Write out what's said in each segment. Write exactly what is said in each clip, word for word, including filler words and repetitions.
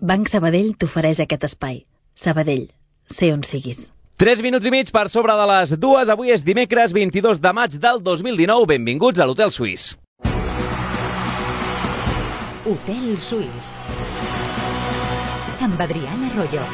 Banc Sabadell t'ofereix aquest espai. Sabadell, sé on siguis. Tres minuts i mig per sobre de les dues. Avui és dimecres vint-i-dos de maig del dos mil dinou. Benvinguts a l'Hotel Suís. Hotel Suís. Amb Adriana Arroyo.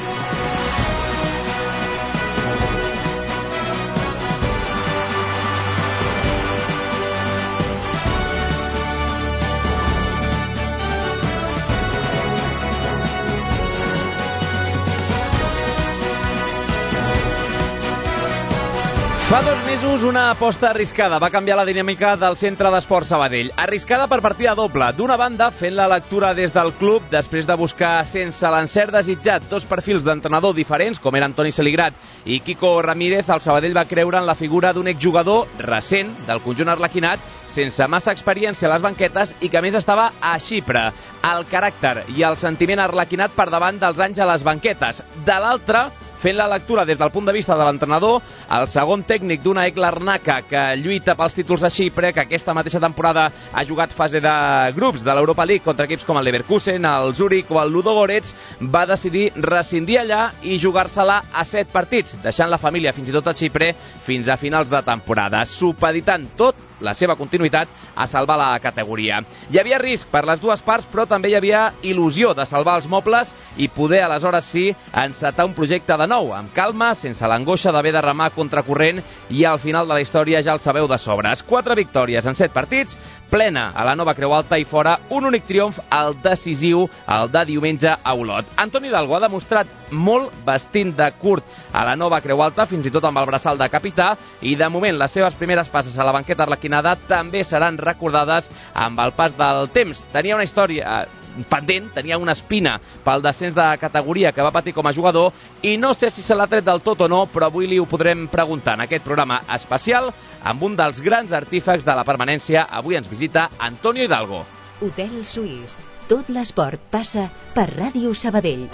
Fa dos mesos una aposta arriscada va canviar la dinàmica del Centre d'Esport Sabadell. Arriscada per partida doble. D'una banda, fent la lectura des del club, després de buscar sense l'encert desitjat dos perfils d'entrenador diferents, com eren Toni Seligrat i Quico Ramírez, el Sabadell va creure en la figura d'un exjugador recent del conjunt arlequinat, sense massa experiència a les banquetes i que a més estava a Xipre. El caràcter i el sentiment arlequinat per davant dels anys a les banquetes. De l'altra, fent la lectura des del punt de vista de l'entrenador, el segon tècnic d'una Ek Larnaca que lluita pels títols a Xipre, que aquesta mateixa temporada ha jugat fase de grups de l'Europa League contra equips com el Leverkusen, el Zurich o el Ludogorets, va decidir rescindir allà i jugar-se-la a set partits, deixant la família fins i tot a Xipre fins a finals de temporada, supeditant tot la seva continuïtat a salvar la categoria. Hi havia risc per les dues parts, però també hi havia il·lusió de salvar els mobles i poder, aleshores sí, encetar un projecte de nou, amb calma, sense l'angoixa d'haver de remar contracorrent, i al final de la història ja el sabeu de sobres. Quatre victòries en set partits, plena a la nova Creu Alta i fora un únic triomf, el decisiu, el de diumenge a Olot. Antoni Hidalgo ha demostrat molt vestint de curt a la nova Creu Alta, fins i tot amb el braçal de capità, i de moment les seves primeres passes a la banqueta arlequinada també seran recordades amb el pas del temps. Tenia una història pendent, tenia una espina pel descens de categoria que va patir com a jugador i no sé si se l'ha tret del tot o no, però avui li ho podrem preguntar en aquest programa especial amb un dels grans artífecs de la permanència. Avui ens visita Antonio Hidalgo. Hotel Suís. Tot l'esport passa per Ràdio Sabadell.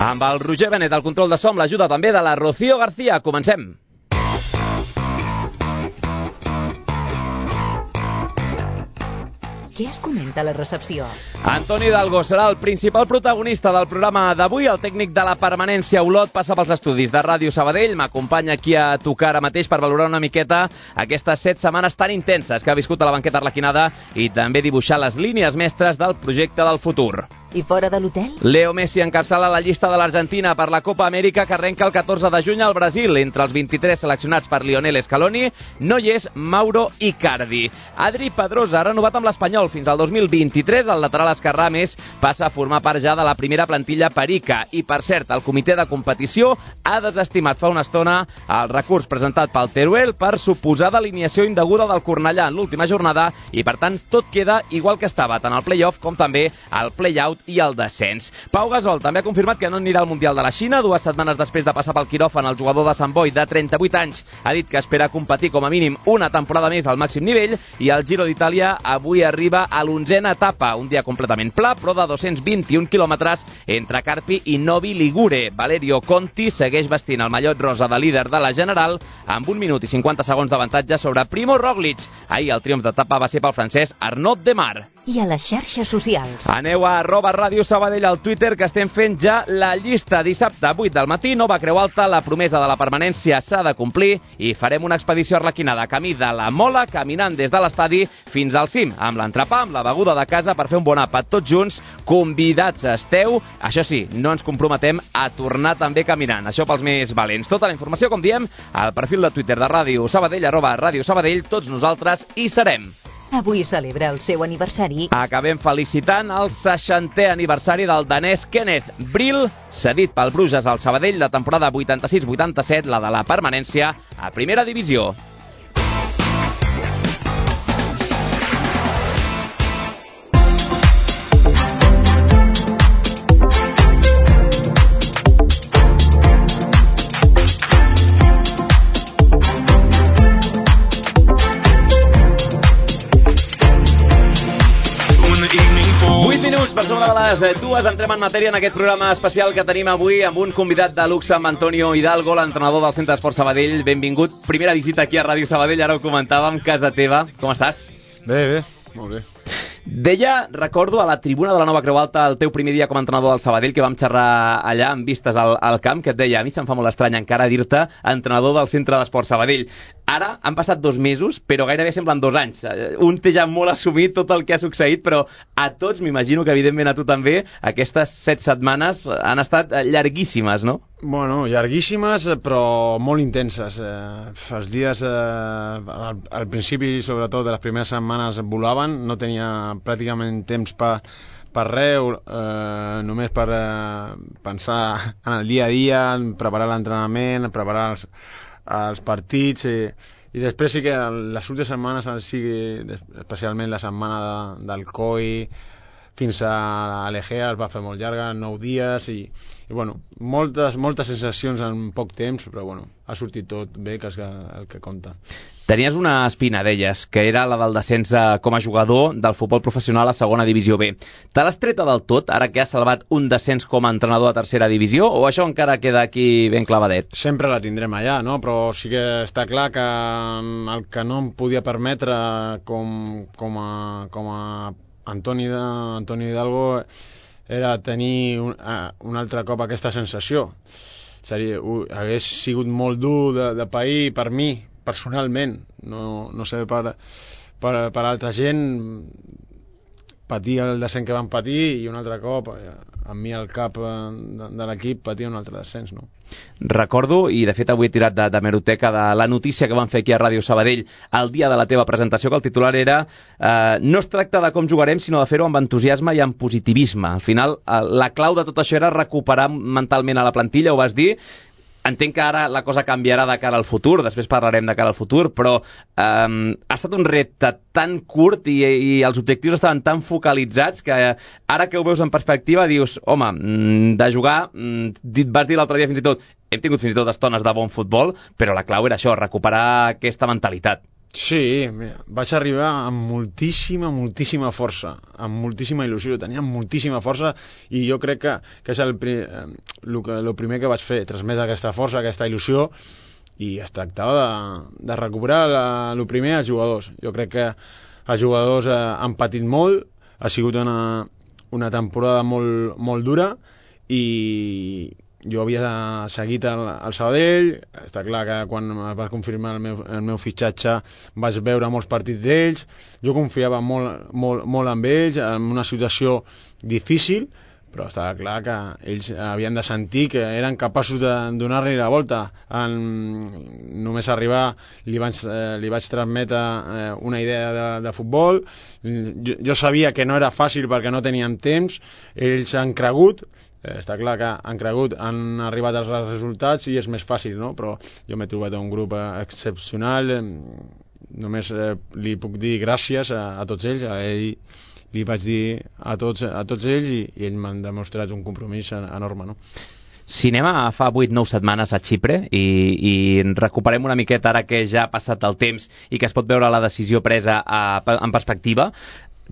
Amb el Roger Benet al control de so, amb l'ajuda també de la Rocío García. Comencem. Què es comenta a la recepció? Antoni Hidalgo serà el principal protagonista del programa d'avui. El tècnic de la permanència Olot passa pels estudis de Ràdio Sabadell. M'acompanya aquí a tocar ara mateix per valorar una miqueta aquestes set setmanes tan intenses que ha viscut a la banqueta arlequinada i també dibuixar les línies mestres del projecte del futur. I fora de l'hotel? Leo Messi encapçala la llista de l'Argentina per la Copa Amèrica que arrenca el catorze de juny al Brasil. Entre els vint-i-tres seleccionats per Lionel Scaloni no hi és Mauro Icardi. Adri Pedrosa ha renovat amb l'Espanyol fins al dos mil vint-i-tres. El lateral esquerrà, més, passa a formar part ja de la primera plantilla perica. I, per cert, el comitè de competició ha desestimat fa una estona el recurs presentat pel Teruel per suposada alineació indeguda del Cornellà en l'última jornada i, per tant, tot queda igual que estava, tant el play-off com també el play-out i el descens. Pau Gasol també ha confirmat que no anirà al Mundial de la Xina. Dues setmanes després de passar pel quiròfan, el jugador de Sant Boi, de trenta-vuit anys, ha dit que espera competir com a mínim una temporada més al màxim nivell, i el Giro d'Itàlia avui arriba a l'onzena etapa, un dia completament pla, però de dos-cents vint-i-un quilòmetres entre Carpi i Novi Ligure. Valerio Conti segueix vestint el mallot rosa de líder de la General amb un minut i cinquanta segons d'avantatge sobre Primo Roglic. Ahir el triomf d'etapa va ser pel francès Arnaud Démare. I a les xarxes socials? Aneu a arroba Ràdio Sabadell al Twitter, que estem fent ja la llista. Dissabte, vuit del matí, nova Creu Alta, la promesa de la permanència s'ha de complir i farem una expedició arlequinada, camí de la Mola, caminant des de l'estadi fins al cim, amb l'entrepà, amb la beguda de casa per fer un bon àpat tots junts. Convidats esteu. Això sí, no ens comprometem a tornar també caminant. Això pels més valents. Tota la informació, com diem, al perfil de Twitter de Ràdio Sabadell, arroba Ràdio Sabadell. Tots nosaltres hi serem. Avui celebra el seu aniversari. Acabem felicitant el seixantè aniversari del danès Kenneth Brill, cedit pel Bruges al Sabadell la temporada vuitanta-sis vuitanta-set, la de la permanència a primera divisió. Les dues entrem en matèria en aquest programa especial que tenim avui amb un convidat de luxe, amb Antonio Hidalgo, l'entrenador del Centre d'Esport Sabadell. Benvingut. Primera visita aquí a Ràdio Sabadell, ara ho comentàvem, casa teva. Com estàs? Bé, bé, molt bé. Deia, recordo, a la tribuna de la Nova Creu Alta el teu primer dia com a entrenador del Sabadell, que vam xerrar allà amb vistes al, al camp, que et deia, a mi se'm fa molt estrany encara dir-te entrenador del Centre d'Esport Sabadell. Ara han passat dos mesos, però gairebé semblen dos anys. Un té ja molt assumit tot el que ha succeït, però a tots, m'imagino que evidentment a tu també, aquestes set setmanes han estat llarguíssimes, no? Bueno, llarguíssimes, però molt intenses. Eh, els dies, eh, al, al principi, sobretot, de les primeres setmanes volaven, no tenia pràcticament temps per, per res, eh, només per eh, pensar en el dia a dia, en preparar l'entrenament, preparar els, els partits, i, i després sí que les últimes setmanes, sí, especialment la setmana de, del C O I, fins a l'Egea es va fer molt llarga, nou dies, i, i bueno, moltes, moltes sensacions en poc temps, però bueno, ha sortit tot bé, que és el que compta. Tenies una espina, deies, que era la del descens com a jugador del futbol professional a segona divisió B. Te l'has treta del tot, ara que has salvat un descens com a entrenador a tercera divisió, o això encara queda aquí ben clavadet? Sempre la tindrem allà, no? Però sí que està clar que el que no em podia permetre com, com a, com a Antoni, Antoni Hidalgo era tenir un, un altre cop aquesta sensació. Seria, hagués sigut molt dur de, de pair per mi, personalment, no, no sé per, per, per altra gent, patir el descens que van patir i un altre cop, amb mi al cap de, de l'equip, patir un altre descens, no? Recordo, i de fet avui he tirat de, de meroteca, de la notícia que van fer aquí a Ràdio Sabadell el dia de la teva presentació, que el titular era eh, no es tracta de com jugarem, sinó de fer-ho amb entusiasme i amb positivisme. Al final, eh, la clau de tot això era recuperar mentalment a la plantilla, ho vas dir. Entenc que ara la cosa canviarà de cara al futur, després parlarem de cara al futur, però eh, ha estat un repte tan curt i, i els objectius estaven tan focalitzats que eh, ara que ho veus en perspectiva dius, home, de jugar, vas dir l'altre dia fins i tot, hem tingut fins i tot estones de bon futbol, però la clau era això, recuperar aquesta mentalitat. Sí, mira, vaig arribar amb moltíssima, moltíssima força, amb moltíssima il·lusió, tenia moltíssima força i jo crec que, que és el, el, el primer que vaig fer, transmetre aquesta força, aquesta il·lusió, i es tractava de, de recuperar la, el primer als jugadors. Jo crec que els jugadors eh, han patit molt, ha sigut una, una temporada molt, molt dura i jo havia seguit el, el Sabadell, està clar que quan es va confirmar el meu, el meu fitxatge vaig veure molts partits d'ells, jo confiava molt, molt, molt en ells, en una situació difícil, però estava clar que ells havien de sentir que eren capaços de donar-li la volta. En, només arribar li vaig, eh, li vaig transmetre eh, una idea de, de futbol, jo, jo sabia que no era fàcil perquè no teníem temps, ells han cregut, Eh, està clar que han cregut, han arribat als resultats i és més fàcil, no? Però jo m'he trobat un grup excepcional, eh, només eh, li puc dir gràcies a, a tots ells, a ell li vaig dir a tots, a tots ells i, i ells m'han demostrat un compromís enorme, no? Si anem a fa vuit nou setmanes a Xipre i, i recuperem una miqueta ara que ja ha passat el temps i que es pot veure la decisió presa a, en perspectiva,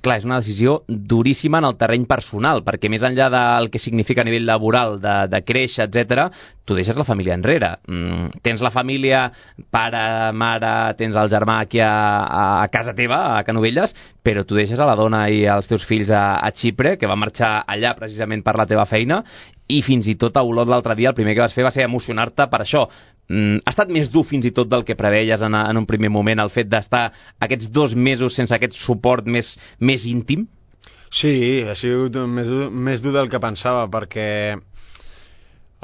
clar, és una decisió duríssima en el terreny personal, perquè més enllà del que significa a nivell laboral, de, de créixer, etcètera, tu deixes la família enrere. Mm, tens la família, pare, mare, tens el germà aquí a, a casa teva, a Canovelles, però tu deixes a la dona i als teus fills a, a Xipre, que va marxar allà precisament per la teva feina, i fins i tot a Olot l'altre dia el primer que vas fer va ser emocionar-te per això. Mm, ha estat més dur fins i tot del que preveies en, en un primer moment, el fet d'estar aquests dos mesos sense aquest suport més, més íntim? Sí, ha sigut més dur, més dur del que pensava, perquè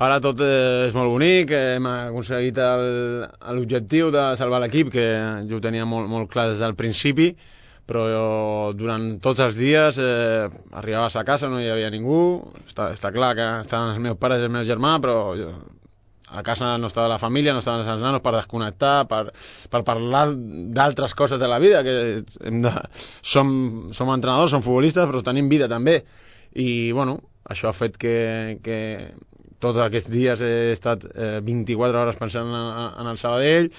ara tot és molt bonic, hem aconseguit l'objectiu de salvar l'equip, que jo ho tenia molt, molt clar des del principi, però jo, durant tots els dies eh, arribaves a casa, no hi havia ningú, està, està clar que estaven els meus pares i el meu germà, però jo, a casa no estava la família, no estaven els nanos per desconnectar, per, per parlar d'altres coses de la vida, que hem de, som, som entrenadors, som futbolistes, però tenim vida també. I, bueno, això ha fet que, que tots aquests dies he estat eh, vint-i-quatre hores pensant en, en el Sabadell,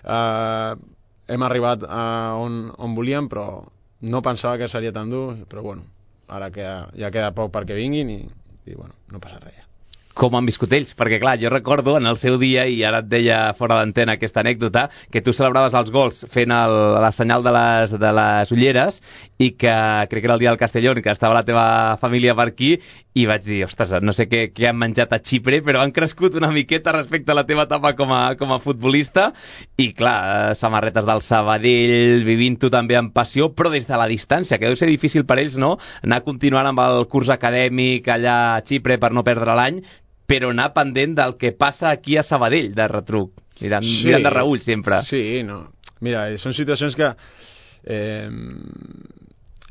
eh, hem arribat a on, on volíem, però no pensava que seria tan dur, però bueno, ara que ja queda poc perquè vinguin i, i bueno, no passa res. com han viscut ells, perquè clar, jo recordo en el seu dia, i ara et deia fora d'antena aquesta anècdota, que tu celebraves els gols fent el, la senyal de les, de les ulleres, i que crec que era el dia del Castellón, que estava la teva família per aquí, i vaig dir, ostres, no sé què, què han menjat a Xipre, però han crescut una miqueta respecte a la teva etapa com a, com a futbolista, i clar, samarretes del Sabadell, vivint-ho també amb passió, però des de la distància, que deu ser difícil per ells, no?, anar continuant amb el curs acadèmic allà a Xipre per no perdre l'any, però anar pendent del que passa aquí a Sabadell, de retruc, mirant, sí, mirant de reüll sempre. Sí, no. Mira, són situacions que eh,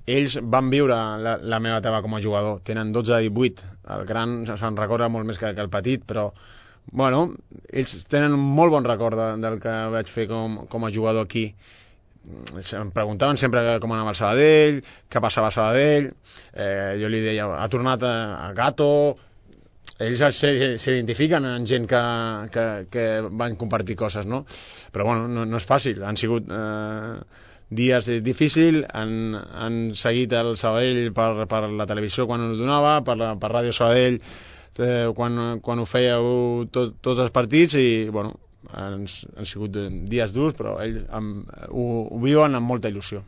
ells van viure la, la meva etapa com a jugador. Tenen dotze a divuit, el gran se'n recorda molt més que, que el petit, però bueno, ells tenen un molt bon record de, del que vaig fer com, com a jugador aquí. Em preguntaven sempre com anava el Sabadell, què passava a Sabadell, eh, jo li deia, ha tornat a, a Gato. Ells s'identifiquen en gent que, que, que van compartir coses, no? Però bueno, no, no és fàcil, han sigut eh, dies difícils, han, han seguit el Sabadell per, per la televisió quan ho donava, per, la, per Ràdio Sabadell eh, quan, quan ho fèieu tot, tots els partits, i bueno, han, han sigut dies durs, però ells han, ho, ho viuen amb molta il·lusió.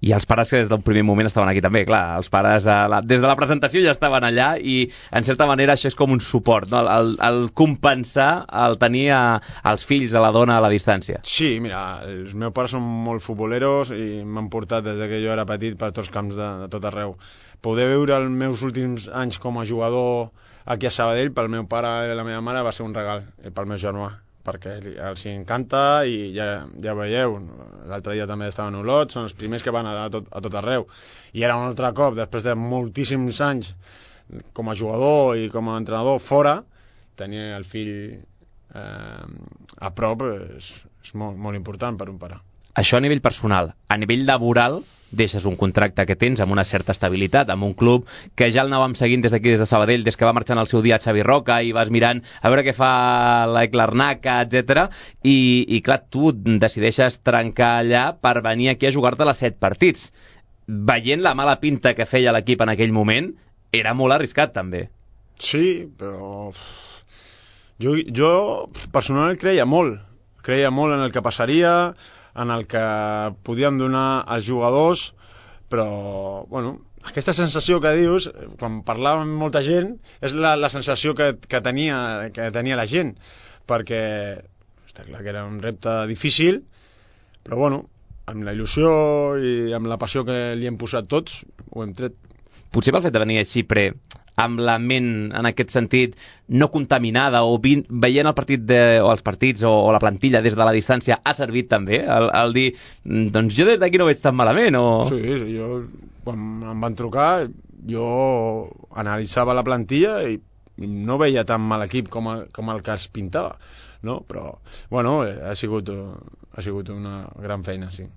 I els pares que des d'un primer moment estaven aquí també, clar, els pares a la, des de la presentació ja estaven allà, i en certa manera això és com un suport, no? el, el compensar el tenir a, els fills, a la dona a la distància. Sí, mira, els meus pares són molt futboleros i m'han portat des que jo era petit per tots els camps de, de tot arreu. Poder veure els meus últims anys com a jugador aquí a Sabadell pel meu pare i la meva mare va ser un regal, i pel meu germà, perquè els encanta, i ja, ja veieu, l'altre dia també estaven a Olot, són els primers que van a tot, a tot arreu, i era un altre cop, després de moltíssims anys com a jugador i com a entrenador fora, tenir el fill eh, a prop és, és molt, molt important per un pare. Això a nivell personal. A nivell laboral, deixes un contracte que tens amb una certa estabilitat, amb un club que ja el anàvem seguint des d'aquí, des de Sabadell, des que va marxar en el seu dia a Xavi Roca, i vas mirant a veure què fa l'Eclarnaca, etcètera. I, i clar, tu decideixes trencar allà per venir aquí a jugar-te les set partits. Veient la mala pinta que feia l'equip en aquell moment, era molt arriscat també. Sí, però jo, jo personalment creia molt. Creia molt en el que passaria, en el que podíem donar als jugadors, però, bueno, aquesta sensació que dius, quan parlava amb molta gent, és la, la sensació que, que, tenia, que tenia la gent, perquè està clar que era un repte difícil, però, bueno, amb la il·lusió i amb la passió que li hem posat tots, ho hem tret. Potser pel fet de venir a Xipre amb la ment, en aquest sentit, no contaminada, o vi, veient el partit de, o els partits o, o la plantilla des de la distància, ha servit també el, el dir, doncs jo des d'aquí no veig tan malament, o... Sí, sí, jo, quan em van trucar, jo analitzava la plantilla i no veia tan mal equip com, a, com el que es pintava, no? Però, bueno, ha sigut, ha sigut una gran feina, sí.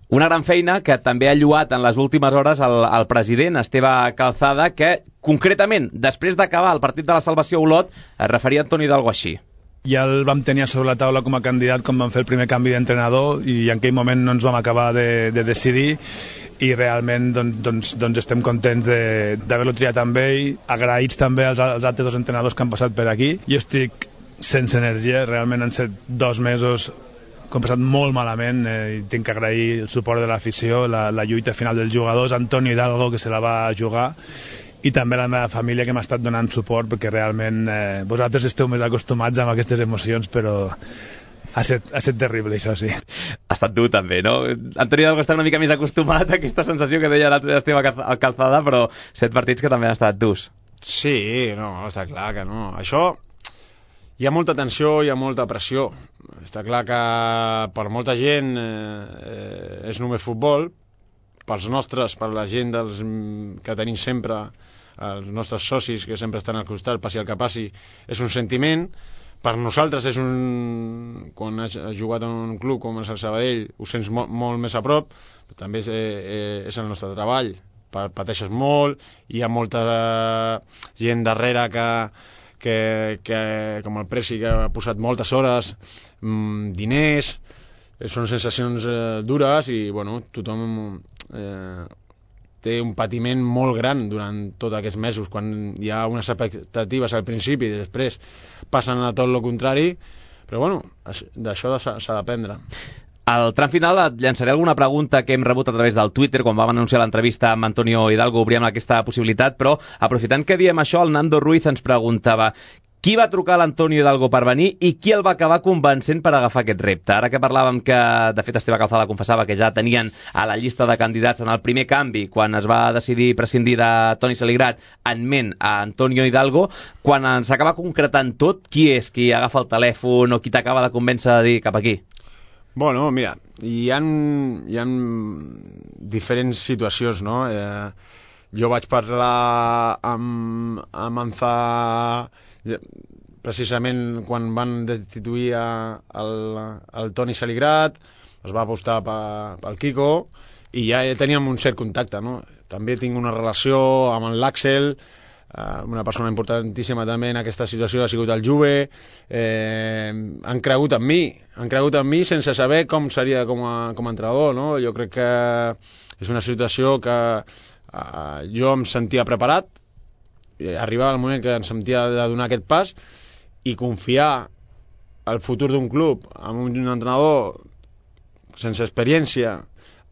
Una gran feina que també ha lluat en les últimes hores el, el president Esteve Calzada, que concretament, després d'acabar el partit de la salvació a Olot, es referia a Antoni Hidalgo així. Ja el vam tenir sobre la taula com a candidat quan vam fer el primer canvi d'entrenador, i en aquell moment no ens vam acabar de, de decidir, i realment doncs, doncs, doncs estem contents d'haver-lo triat amb ell, agraïts també als, als altres dos entrenadors que han passat per aquí. Jo estic sense energia, realment han set dos mesos que hem passat molt malament, eh, i tinc que agrair el suport de l'afició, la, la lluita final dels jugadors, Antoni Hidalgo, que se la va jugar, i també la meva família, que m'ha estat donant suport, perquè realment eh, vosaltres esteu més acostumats amb aquestes emocions, però ha estat, ha estat terrible, això sí. Ha estat dur també, no? Antoni Hidalgo està una mica més acostumat a aquesta sensació que deia l'altre Esteve Calzada, però set partits que també han estat durs. Sí, no, està clar que no. Això... Hi ha molta tensió, hi ha molta pressió. Està clar que per molta gent eh, és només futbol, pels nostres, per la gent dels, que tenim sempre, els nostres socis que sempre estan al costat, passi el que passi, és un sentiment. Per nosaltres és un... Quan has jugat en un club com és el Sabadell, ho sents molt, molt més a prop, però també és, eh, és el nostre treball. Pateixes molt, hi ha molta gent darrere que... Que, que com el Presi, que ha posat moltes hores, mmm, diners, eh, són sensacions eh, dures, i bueno, tothom eh, té un patiment molt gran durant tots aquests mesos, quan hi ha unes expectatives al principi i després passen a tot el contrari, però bueno, d'això s'ha d'aprendre. Al tram final et llançaré alguna pregunta que hem rebut a través del Twitter quan vam anunciar l'entrevista amb Antonio Hidalgo, obríem aquesta possibilitat, però aprofitant que diem això, el Nando Ruiz ens preguntava qui va trucar a l'Antonio Hidalgo per venir i qui el va acabar convencent per agafar aquest repte. Ara que parlàvem que, de fet, Esteve Calzada confessava que ja tenien a la llista de candidats en el primer canvi, quan es va decidir prescindir de Toni Saligrat, en ment a Antonio Hidalgo, quan s'acaba concretant tot, qui és qui agafa el telèfon o qui t'acaba de convèncer de dir cap aquí? Bueno, mira, hi ha, hi ha diferents situacions, no? Eh, jo vaig parlar amb, amb Anza precisament quan van destituir el, el Toni Saligrat, es va apostar pel Kiko i ja teníem un cert contacte, no? També tinc una relació amb l'Àxel, una persona importantíssima també en aquesta situació ha sigut el Juve, eh, han cregut en mi, han cregut en mi sense saber com seria com a, com a entrenador, no? Jo crec que és una situació que eh, jo em sentia preparat, arribava el moment que em sentia de donar aquest pas i confiar el futur d'un club amb un entrenador sense experiència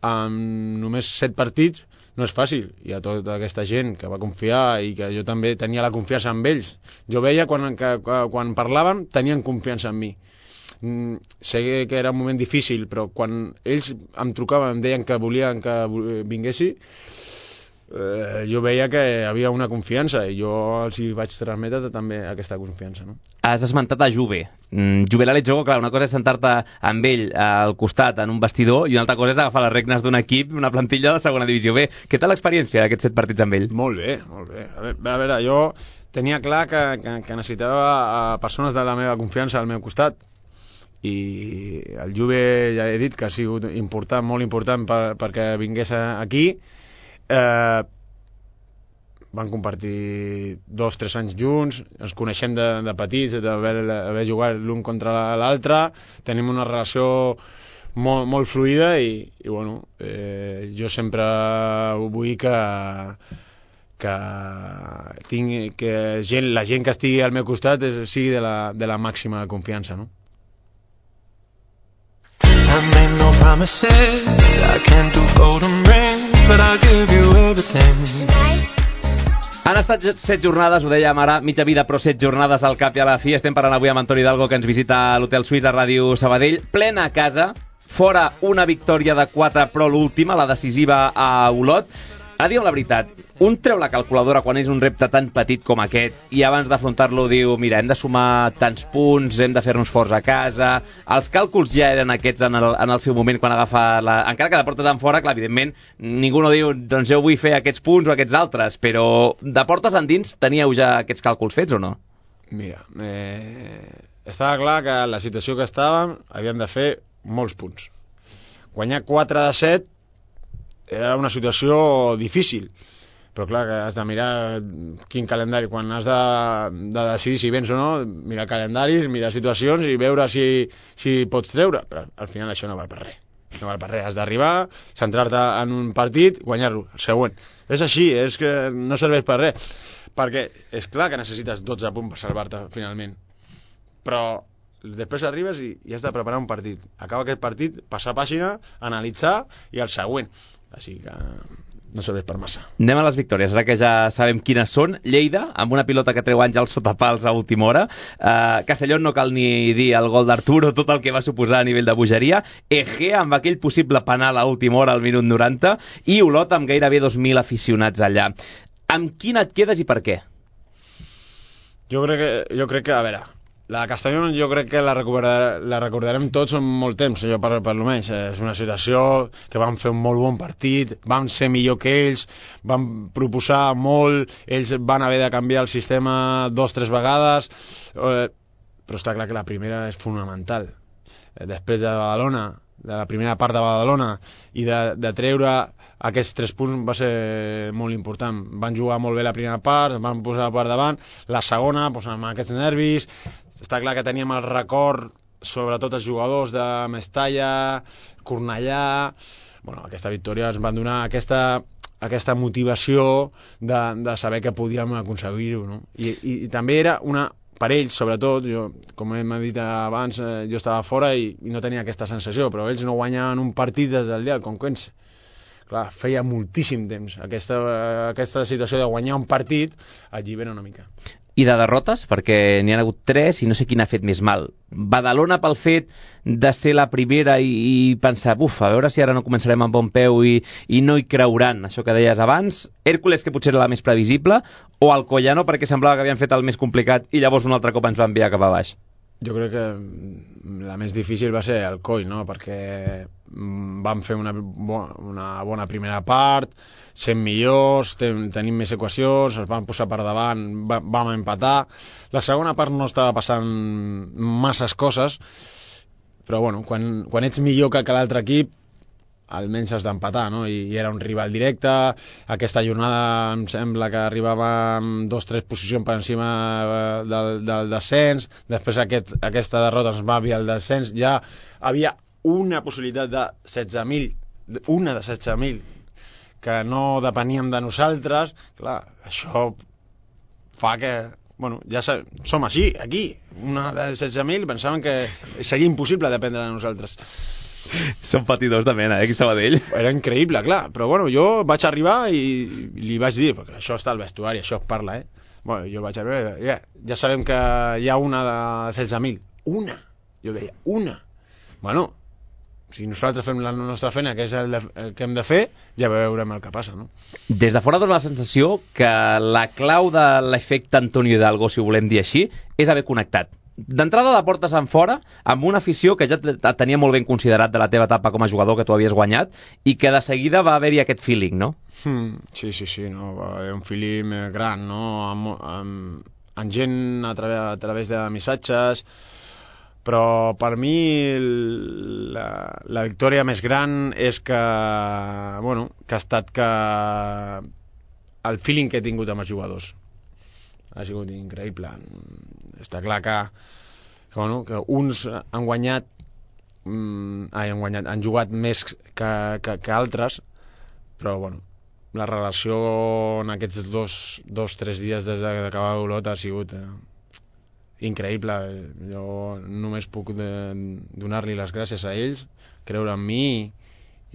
amb només set partits no és fàcil, hi ha tota aquesta gent que va confiar i que jo també tenia la confiança en ells. Jo veia quan, que, quan parlàvem tenien confiança en mi. Mm, sé que era un moment difícil, però quan ells em trucaven, em deien que volien que vinguessi, eh, jo veia que hi havia una confiança i jo els hi vaig transmetre també aquesta confiança, no? Has esmentat a Juve. Mm, Juve l'Alejogo, clar, una cosa és sentar-te amb ell al costat en un vestidor i una altra cosa és agafar les regnes d'un equip, una plantilla de segona divisió B. Què tal l'experiència d'aquests set partits amb ell? Molt bé, molt bé. A veure, a veure jo tenia clar que, que, que necessitava a persones de la meva confiança al meu costat i el Juve ja he dit que ha sigut important, molt important per, perquè vingués aquí. Eh, van compartir dos o tres anys junts, ens coneixem de, de petits, d'haver jugat l'un contra l'altre, tenim una relació molt, molt fluida i, i bueno, eh, jo sempre vull que que, tinc, que gent, la gent que estigui al meu costat és, sigui de la, de la màxima confiança, no? I made no promises, I can't do golden rings, but I'll give you everything. Han estat set jornades, ho dèiem ara, mitja vida, però set jornades al cap i a la fi. Estem parlant avui amb Antoni Hidalgo, que ens visita a l'Hotel Suís a Ràdio Sabadell. Plena a casa, fora una victòria de quatre, però l'última, la decisiva a Olot. Ara digue'm la veritat, un treu la calculadora quan és un repte tan petit com aquest i abans d'afrontar-lo diu, mira, hem de sumar tants punts, hem de fer-nos forts a casa. Els càlculs ja eren aquests en el, en el seu moment quan agafa la... Encara que de portes en fora, clar, evidentment, ningú no diu, doncs jo vull fer aquests punts o aquests altres, però de portes endins teníeu ja aquests càlculs fets o no? Mira, eh, estava clar que la situació que estàvem havíem de fer molts punts. Guanyar quatre de set era una situació difícil, però clar que has de mirar quin calendari, quan has de, de decidir si vens o no, mirar calendaris, mirar situacions i veure si, si pots treure, però al final això no val per res, no val per res, has d'arribar, centrar-te en un partit, guanyar-lo, el següent. És així, és que no serveix per res, perquè és clar que necessites dotze punts per salvar-te finalment, però després arribes i, i has de preparar un partit. Acaba aquest partit, passar pàgina, analitzar i el següent. Així que no serveix per massa. Anem a les victòries, ara que ja sabem quines són. Lleida, amb una pilota que treu Àngel sotapals a última hora. Uh, Castellón, no cal ni dir el gol d'Arturo, tot el que va suposar a nivell de bogeria. Egea, amb aquell possible penal a última hora, al minut noranta. I Olot, amb gairebé dos mil aficionats allà. Amb quin et quedes i per què? Jo crec que, jo crec que a veure, la Castellón jo crec que la, recordar, la recordarem tots en molt temps, jo per, per almenys. És una situació que vam fer un molt bon partit, vam ser millor que ells, vam proposar molt, ells van haver de canviar el sistema dos o tres vegades, eh, però està clar que la primera és fonamental. Eh, després de Badalona, de la primera part de Badalona, i de, de treure aquests tres punts va ser molt important. Van jugar molt bé la primera part, van posar per davant, la segona, doncs, amb aquests nervis. Està clar que teníem el record, sobretot els jugadors de Mestalla, Cornellà. Bueno, aquesta victòria ens van donar aquesta, aquesta motivació de, de saber que podíem aconseguir-ho, no? I, i, i també era una, per ells, sobretot, jo, com hem dit abans, eh, jo estava fora i, i no tenia aquesta sensació, però ells no guanyaven un partit des del dia del Conquense. Clar, feia moltíssim temps. Aquesta, aquesta situació de guanyar un partit allibera una mica. I de derrotes, perquè n'hi ha hagut tres i no sé quin ha fet més mal. Badalona pel fet de ser la primera i, i pensar, buf, a veure si ara no començarem amb bon peu i, i no hi creuran, això que deies abans. Hèrcules, que potser era la més previsible, o Alcoyano, perquè semblava que havien fet el més complicat i llavors un altre cop ens va enviar cap a baix. Jo crec que la més difícil va ser el Coi, no? Perquè vam fer una, bo una bona primera part, sent millors, ten tenim més equacions, ens vam posar per davant, va vam empatar. La segona part no estava passant masses coses, però bueno, quan, quan ets millor que, que l'altre equip, almenys has d'empatar, no? I, I era un rival directe. Aquesta jornada em sembla que arribàvem dos o tres posicions per encima del, del descens. Després aquest, aquesta derrota ens va enviar el descens. Ja havia una possibilitat de setze mil, una de setze mil, que no depeníem de nosaltres. Clar, això fa que... Bueno, ja som així, aquí. Una de setze mil, pensaven que seria impossible dependre de nosaltres. Són patidors de mena, eh, aquí Sabadell. Era increïble, clar, però bueno, jo vaig arribar i li vaig dir, perquè això està al vestuari, això es parla, eh? Bueno, jo vaig arribar, ja, ja sabem que hi ha una de setze mil. Una! Jo deia, una! Bueno, si nosaltres fem la nostra feina, que és el, de, el que hem de fer, ja veurem el que passa, no? Des de fora dona la sensació que la clau de l'efecte Antonio Hidalgo, si ho volem dir així, és haver connectat. D'entrada de portes en fora, amb una afició que ja et tenia molt ben considerat de la teva etapa com a jugador, que tu havies guanyat, i que de seguida va haver-hi aquest feeling, no? Hmm, sí, sí, sí, no, va haver un feeling gran, no? Amb, amb, amb gent a, través, a través de missatges, però per mi la, la victòria més gran és que, bueno, que ha estat que el feeling que he tingut amb els jugadors ha sigut increïble. Està clar que, que, bueno, que uns han guanyat, mm, ai, han guanyat, han jugat més que, que, que altres, però bueno, la relació en aquests dos, dos tres dies des d'acabar l'Olot ha sigut eh, increïble. Jo només puc donar-li les gràcies a ells, creure en mi,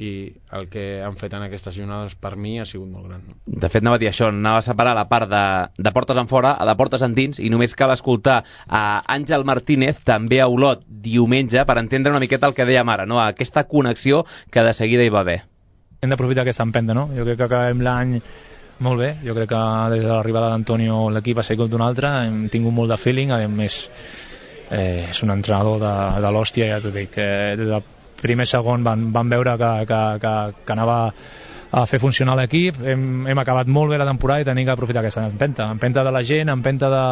i el que han fet en aquestes jornades per mi ha sigut molt gran. De fet, anava a dir això, anava a separar la part de, de portes en fora a de portes endins, i només cal escoltar a Àngel Martínez, també a Olot, diumenge, per entendre una miqueta el que dèiem ara, no? Aquesta connexió que de seguida hi va haver. Hem d'aprofitar aquesta empenta, no? Jo crec que acabem l'any molt bé, jo crec que des de l'arribada d'Antonio l'equip ha sigut d'un altre, hem tingut molt de feeling, a més eh, és un entrenador de, de l'hòstia, ja t'ho dic, eh, des del primer segon van, van veure que, que, que, que anava a fer funcionar l'equip. Hem, hem acabat molt bé la temporada i tenim que aprofitar aquesta empenta, empenta de la gent, empenta de,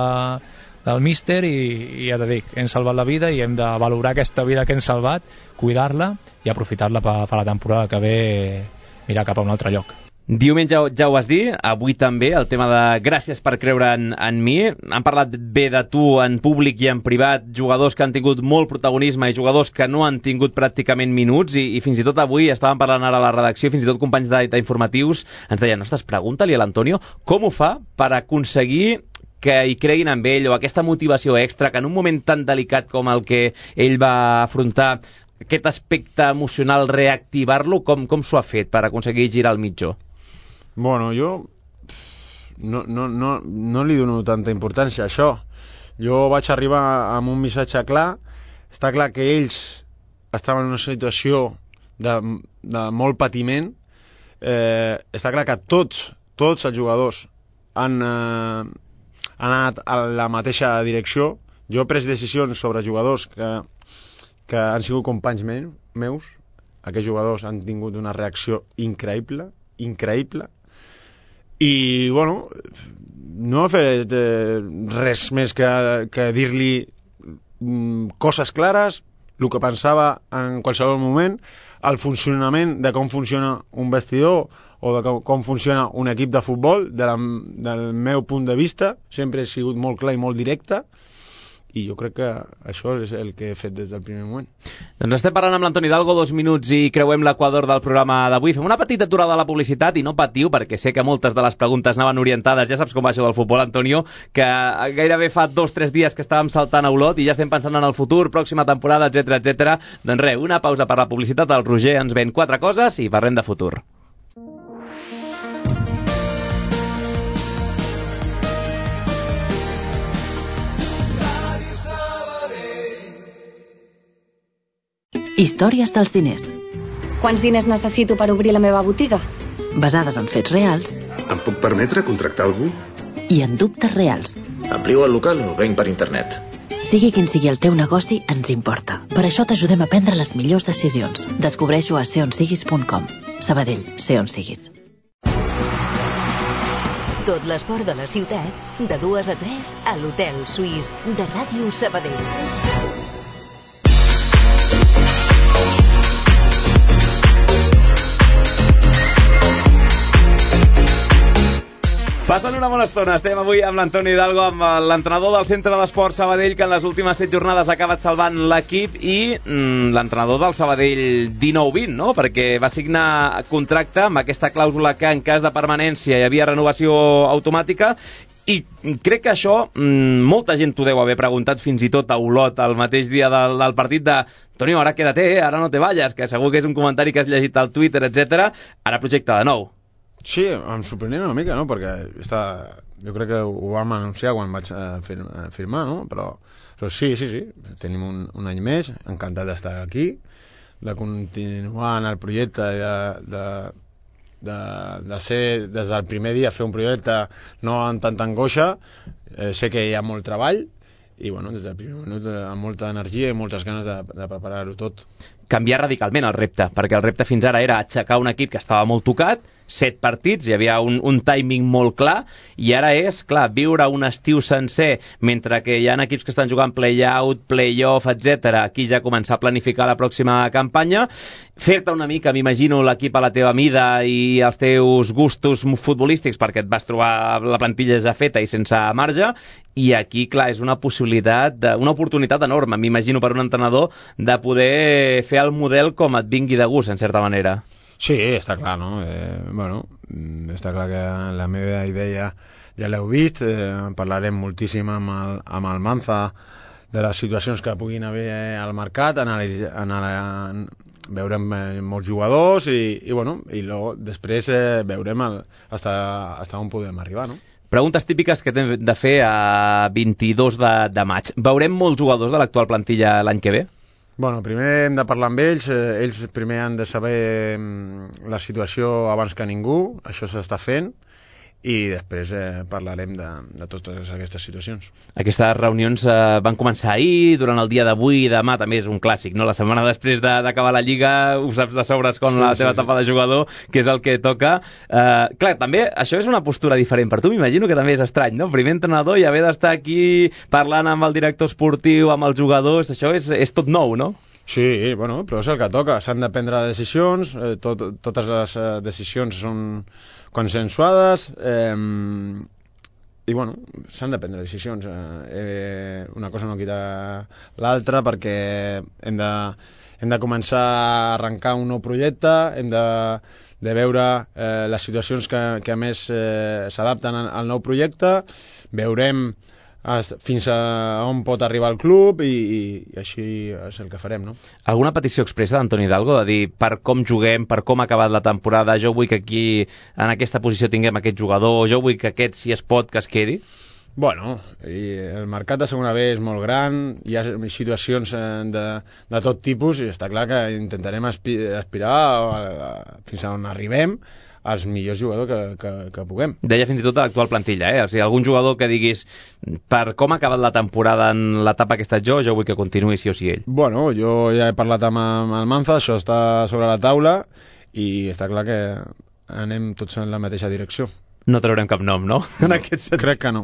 del míster, i, i ja t'ho dic, hem salvat la vida i hem de valorar aquesta vida que hem salvat, cuidar-la i aprofitar-la per, per la temporada que ve, mirar cap a un altre lloc. Diumenge ja ho vas dir, avui també, el tema de gràcies per creure en, en mi. Han parlat bé de tu en públic i en privat, jugadors que han tingut molt protagonisme i jugadors que no han tingut pràcticament minuts, i, i fins i tot avui estàvem parlant ara a la redacció, fins i tot companys d'informatius ens deien, ostres, pregunta-li a l'Antonio com ho fa per aconseguir que hi creguin amb ell, o aquesta motivació extra, que en un moment tan delicat com el que ell va afrontar, aquest aspecte emocional, reactivar-lo, com, com s'ho ha fet per aconseguir girar el mitjó? Bueno, jo no, no, no, no li dono tanta importància a això. Jo vaig arribar amb un missatge clar. Està clar que ells estaven en una situació de, de molt patiment. Eh, està clar que tots, tots els jugadors han, eh, han anat a la mateixa direcció. Jo he pres decisions sobre jugadors que, que han sigut companys meus. Aquests jugadors han tingut una reacció increïble, increïble. I, bueno, no he fet eh, res més que, que dir-li mm, coses clares, el que pensava en qualsevol moment, el funcionament de com funciona un vestidor o de com, com funciona un equip de futbol, de la, del meu punt de vista, sempre he sigut molt clar i molt directe, i jo crec que això és el que he fet des del primer moment. Doncs estem parlant amb l'Antoni Hidalgo, dos minuts i creuem l'equador del programa d'avui. Fem una petita aturada a la publicitat i no patiu, perquè sé que moltes de les preguntes anaven orientades, ja saps com va això del futbol, Antonio, que gairebé fa dos o tres dies que estàvem saltant a Olot i ja estem pensant en el futur, pròxima temporada, etcètera, etcètera. Doncs res, una pausa per la publicitat, el Roger ens ven quatre coses i parlem de futur. Històries dels diners. Quants diners necessito per obrir la meva botiga? Basades en fets reals. Em puc permetre contractar algú? I en dubtes reals. Amplio el local o venc per internet? Sigui quin sigui el teu negoci, ens importa. Per això t'ajudem a prendre les millors decisions. Descobreix-ho a ser on siguis punt com. Sabadell, ser on siguis. Tot l'esport de la ciutat, de dues a tres, a l'Hotel Suís de Ràdio Sabadell. Passen una bona estona, estem avui amb l'Antoni Hidalgo, amb l'entrenador del Centre d'Esport Sabadell, que en les últimes set jornades ha acabat salvant l'equip, i mm, l'entrenador del Sabadell dinou vint, no? Perquè va signar contracte amb aquesta clàusula que en cas de permanència hi havia renovació automàtica, i crec que això mm, molta gent t'ho deu haver preguntat, fins i tot a Olot, el mateix dia del, del partit de Antonio, ara quédate, eh? Ara no te vayas, que segur que és un comentari que has llegit al Twitter, etcètera. Ara projecte de nou. Sí, em sorprenia una mica, no? Perquè està, jo crec que ho vam anunciar quan vaig a firmar, no? Però, però sí, sí, sí, tenim un, un any més, encantat d'estar aquí, de continuar en el projecte, de, de, de, de ser des del primer dia fer un projecte no amb tanta angoixa. Eh, sé que hi ha molt treball i bueno, des del primer minut amb molta energia i moltes ganes de, de preparar-ho tot. Canviar radicalment el repte, perquè el repte fins ara era aixecar un equip que estava molt tocat, set partits, hi havia un, un timing molt clar, i ara és, clar, viure un estiu sencer, mentre que hi ha equips que estan jugant play-out, play-off, etcètera. Aquí ja començar a planificar la pròxima campanya, fer-te una mica, m'imagino, l'equip a la teva mida i els teus gustos futbolístics, perquè et vas trobar la plantilla ja feta i sense marge, i aquí, clar, és una possibilitat, de, una oportunitat enorme, m'imagino, per un entrenador, de poder fer el model com et vingui de gust, en certa manera. Sí, està clar, no? Eh, bueno, està clar que la meva idea ja l'heu vist, eh, parlarem moltíssim amb el, amb el Manza de les situacions que puguin haver al mercat, analitzar, analitzar, veurem eh, molts jugadors i, i, bueno, i lo, després eh, veurem el, hasta, hasta on podem arribar, no? Preguntes típiques que hem de fer a vint-i-dos de, de maig. Veurem molts jugadors de l'actual plantilla l'any que ve? Bueno, primer hem de parlar amb ells, eh, ells primer han de saber la situació abans que ningú, això s'està fent, i després eh, parlarem de, de totes aquestes situacions. Aquestes reunions eh, van començar ahir, durant el dia d'avui i demà també és un clàssic, no? La setmana després de, d'acabar la Lliga ho saps de sobres com sí, la teva sí, etapa sí. de jugador, que és el que toca. Eh, clar, també això és una postura diferent per tu, m'imagino que també és estrany, no? Primer entrenador i haver d'estar aquí parlant amb el director esportiu, amb els jugadors, això és, és tot nou, no? Sí, bueno, però és el que toca, s'han de prendre decisions, eh, tot, totes les eh, decisions són consensuades, eh, i bueno, s'han de prendre decisions, eh, eh, una cosa no quita l'altra, perquè hem de, hem de començar a arrencar un nou projecte, hem de, de veure eh, les situacions que, que a més eh, s'adapten al nou projecte, veurem fins a on pot arribar el club i, i, i així és el que farem, no? Alguna petició expressa d'Antoni Hidalgo de dir per com juguem, per com ha acabat la temporada, jo vull que aquí en aquesta posició tinguem aquest jugador, jo vull que aquest, si es pot, que es quedi? Bueno, i el mercat de segona B és molt gran, hi ha situacions de, de tot tipus i està clar que intentarem aspirar a, a, fins a on arribem els millors jugadors que, que, que puguem. Deia fins i tot a l'actual plantilla, eh? O sigui, algun jugador que diguis per com ha acabat la temporada en l'etapa que he estat jo, jo vull que continuï sí o sí ell. Bueno, jo ja he parlat amb el Manza, això està sobre la taula i està clar que anem tots en la mateixa direcció. No traurem cap nom, no? no en aquest sentit. Crec que no.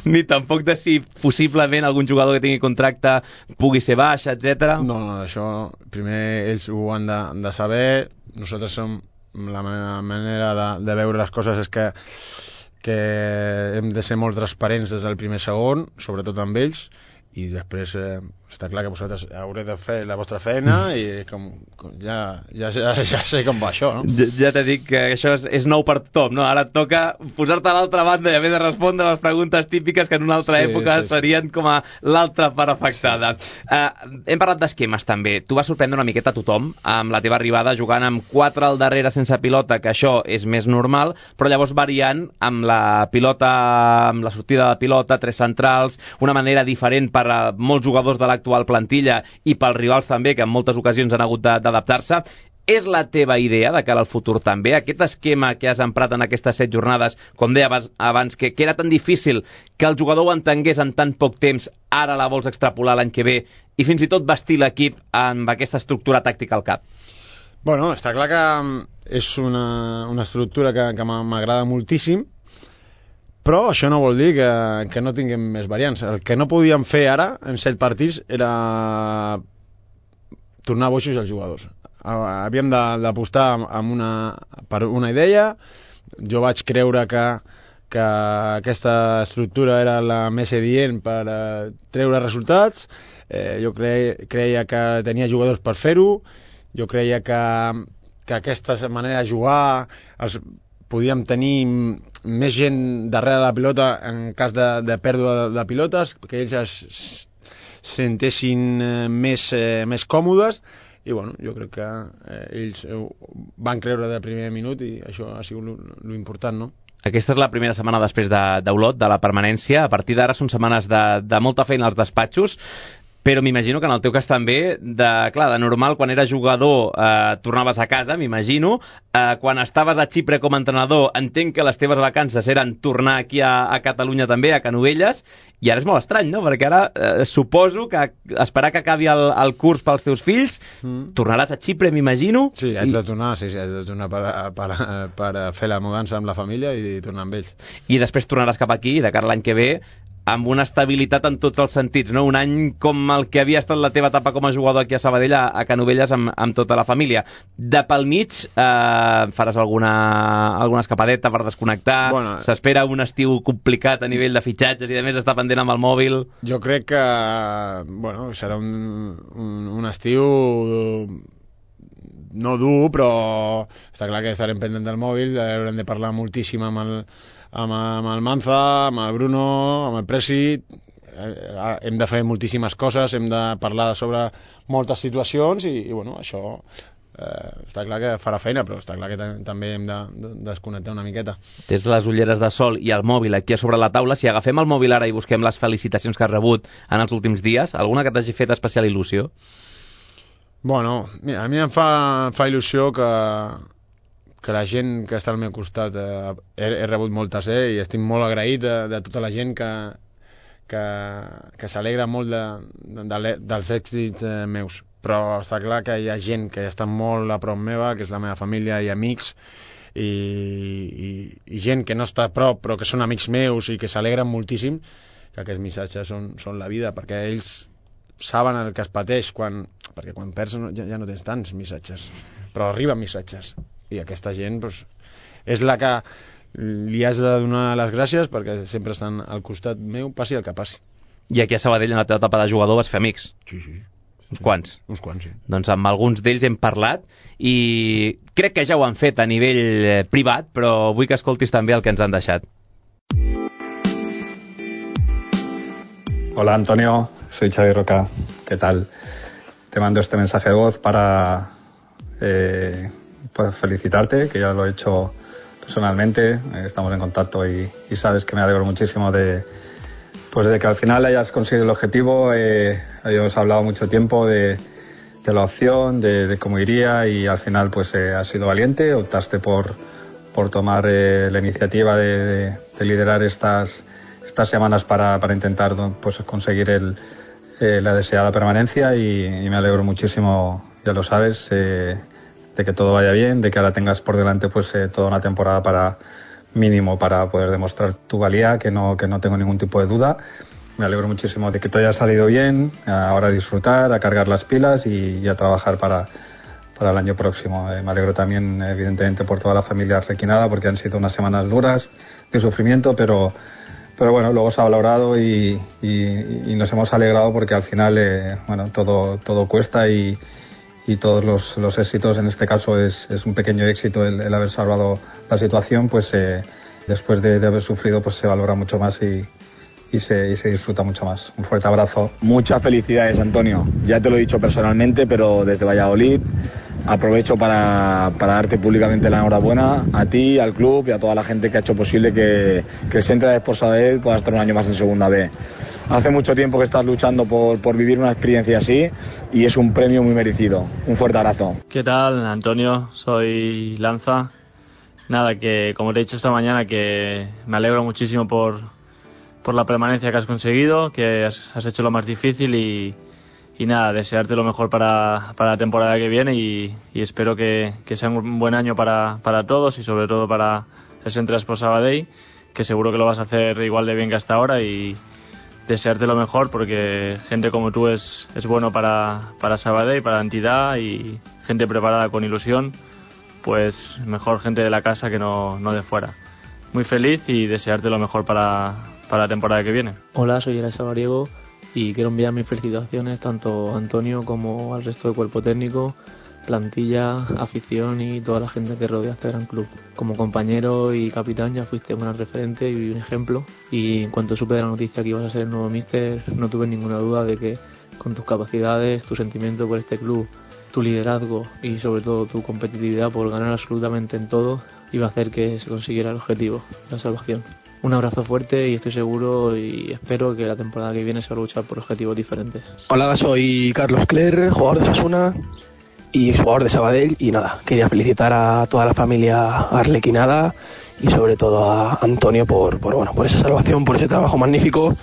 Ni tampoc de si possiblement algun jugador que tingui contracte pugui ser baix, etcètera. No, no, això primer ells ho han de, de saber, nosaltres som la manera de, de veure les coses és que, que hem de ser molt transparents des del primer segon, sobretot amb ells, i després eh, està clar que vosaltres haureu de fer la vostra feina i com, com ja, ja, ja, ja sé com va això, no? Ja, ja t'he dit que això és, és nou per tothom, no? Ara et toca posar-te a l'altra banda i haver de respondre les preguntes típiques que en una altra sí, època sí, sí. serien com a l'altra part afectada. Sí. Uh, hem parlat d'esquemes també. Tu vas sorprendre una miqueta a tothom amb la teva arribada jugant amb quatre al darrere sense pilota, que això és més normal, però llavors variant amb la pilota, amb la sortida de pilota, tres centrals, una manera diferent per a molts jugadors de l'actual plantilla i pels rivals també, que en moltes ocasions han hagut d'adaptar-se. És la teva idea de cara al futur també? Aquest esquema que has emprat en aquestes set jornades, com deia abans, que, que era tan difícil que el jugador ho entengués en tan poc temps, ara la vols extrapolar l'any que ve i fins i tot vestir l'equip amb aquesta estructura tàctica al cap? Bueno, està clar que és una, una estructura que, que m'agrada moltíssim, però això no vol dir que, que no tinguem més variants. El que no podíem fer ara, en set partits, era tornar boixos els jugadors. Havíem d'apostar amb una, per una idea. Jo vaig creure que, que aquesta estructura era la més adient per uh, treure resultats. Eh, jo cre, creia que tenia jugadors per fer-ho. Jo creia que, que aquesta manera de jugar els, podíem tenir més gent darrere la pilota en cas de, de pèrdua de, de pilotes, que ells es sentessin més, eh, més còmodes, i bueno, jo crec que eh, ells van creure del primer minut i això ha sigut l'important, no? Aquesta és la primera setmana després d'Olot, de, de la permanència. A partir d'ara són setmanes de, de molta feina als despatxos, però m'imagino que en el teu cas també, de, clar, de normal, quan eres jugador eh, tornaves a casa, m'imagino, eh, quan estaves a Xipre com a entrenador, entenc que les teves vacances eren tornar aquí a, a Catalunya també, a Canovelles, i ara és molt estrany, no? Perquè ara eh, suposo que esperar que acabi el, el curs pels teus fills, mm. tornaràs a Xipre, m'imagino? Sí, haig de tornar, sí, sí, haig de tornar per, per, per fer la mudança amb la família i tornar amb ells. I després tornaràs cap aquí, de cara a l'any que ve, amb una estabilitat en tots els sentits, no? Un any com el que havia estat la teva etapa com a jugador aquí a Sabadell, a, a Canovelles, amb, amb tota la família. De pel mig, eh, faràs alguna, alguna escapadeta per desconnectar? Bueno, s'espera un estiu complicat a nivell de fitxatges i a més està pendent amb el mòbil? Jo crec que bueno, serà un, un, un estiu no dur, però està clar que estarem pendent del mòbil, haurem de parlar moltíssim amb el amb, amb el Manza, amb el Bruno, amb el Presi, eh, hem de fer moltíssimes coses, hem de parlar sobre moltes situacions i, i bueno, això eh, està clar que farà feina, però està clar que també hem de, de desconnectar una miqueta. Tens les ulleres de sol i el mòbil aquí a sobre la taula. Si agafem el mòbil ara i busquem les felicitacions que has rebut en els últims dies, alguna que t'hagi fet especial il·lusió? Bueno, mira, a mi em fa, fa il·lusió que que la gent que està al meu costat eh, he, he rebut moltes, eh, i estic molt agraït de, de tota la gent que, que, que s'alegra molt de, de, de, dels èxits eh, meus, però està clar que hi ha gent que està molt a prop meva, que és la meva família i amics, i, i, i gent que no està a prop però que són amics meus i que s'alegren moltíssim, que aquests missatges són, són la vida, perquè ells saben el que es pateix quan, perquè quan perds ja, ja no tens tants missatges, però arriben missatges. I aquesta gent doncs, és la que li has de donar les gràcies perquè sempre estan al costat meu, passi el que passi. I aquí a Sabadell, en la teva etapa de jugador, vas fer amics? Sí, sí. Uns quants? Uns quants, sí. Doncs amb alguns d'ells hem parlat i crec que ja ho han fet a nivell privat, però vull que escoltis també el que ens han deixat. Hola Antonio, soy Xavi Roca. ¿Qué tal? Te mando este mensaje de voz para... Eh, pues felicitarte, que ya lo he hecho personalmente, eh, estamos en contacto y, y sabes que me alegro muchísimo de pues de que al final hayas conseguido el objetivo. Eh, habíamos hablado mucho tiempo de, de la opción, de, de cómo iría y al final pues eh, has sido valiente, optaste por, por tomar eh, la iniciativa de, de, de liderar estas, estas semanas para, para intentar pues conseguir el, eh, la deseada permanencia y, y me alegro muchísimo, ya lo sabes, eh, de que todo vaya bien, de que ahora tengas por delante pues eh, toda una temporada para mínimo para poder demostrar tu valía, que no que no tengo ningún tipo de duda. Me alegro muchísimo de que todo haya salido bien, ahora a disfrutar, a cargar las pilas y, y a trabajar para, para el año próximo. Eh, me alegro también evidentemente por toda la familia requinada porque han sido unas semanas duras de sufrimiento, pero pero bueno, luego se ha valorado y, y, y nos hemos alegrado porque al final eh, bueno, todo, todo cuesta y, y todos los, los éxitos, en este caso es, es un pequeño éxito el, el haber salvado la situación, pues eh, después de, de haber sufrido pues se valora mucho más y, y, se, y se disfruta mucho más. Un fuerte abrazo. Muchas felicidades, Antonio, ya te lo he dicho personalmente, pero desde Valladolid aprovecho para, para darte públicamente la enhorabuena a ti, al club y a toda la gente que ha hecho posible que, que el Centre de Sport Sabadell pueda estar un año más en Segunda B. Hace mucho tiempo que estás luchando por, por vivir una experiencia así y es un premio muy merecido. Un fuerte abrazo. ¿Qué tal, Antonio? Soy Lanza. Nada, que como te he dicho esta mañana, que me alegro muchísimo por, por la permanencia que has conseguido, que has, has hecho lo más difícil y Y nada, desearte lo mejor para, para la temporada que viene y, y espero que, que sea un buen año para, para todos y sobre todo para el Centre de Sport Sabadell, que seguro que lo vas a hacer igual de bien que hasta ahora y desearte lo mejor porque gente como tú es, es bueno para, para Sabadell, para la entidad y gente preparada con ilusión, pues mejor gente de la casa que no, no de fuera. Muy feliz y desearte lo mejor para, para la temporada que viene. Hola, soy Geray Sabariego y quiero enviar mis felicitaciones tanto a Antonio como al resto del cuerpo técnico, plantilla, afición y toda la gente que rodea este gran club. Como compañero y capitán ya fuiste un gran referente y un ejemplo, y en cuanto supe de la noticia que ibas a ser el nuevo míster no tuve ninguna duda de que con tus capacidades, tu sentimiento por este club, tu liderazgo y sobre todo tu competitividad por ganar absolutamente en todo iba a hacer que se consiguiera el objetivo, la salvación. Un abrazo fuerte y estoy seguro y espero que la temporada que viene se va a luchar por objetivos diferentes. Hola, soy Carlos Cler, jugador de Osasuna y exjugador de Sabadell, y nada, quería felicitar a toda la familia arlequinada y sobre todo a Antonio por, por, bueno, por esa salvación, por ese trabajo magnífico.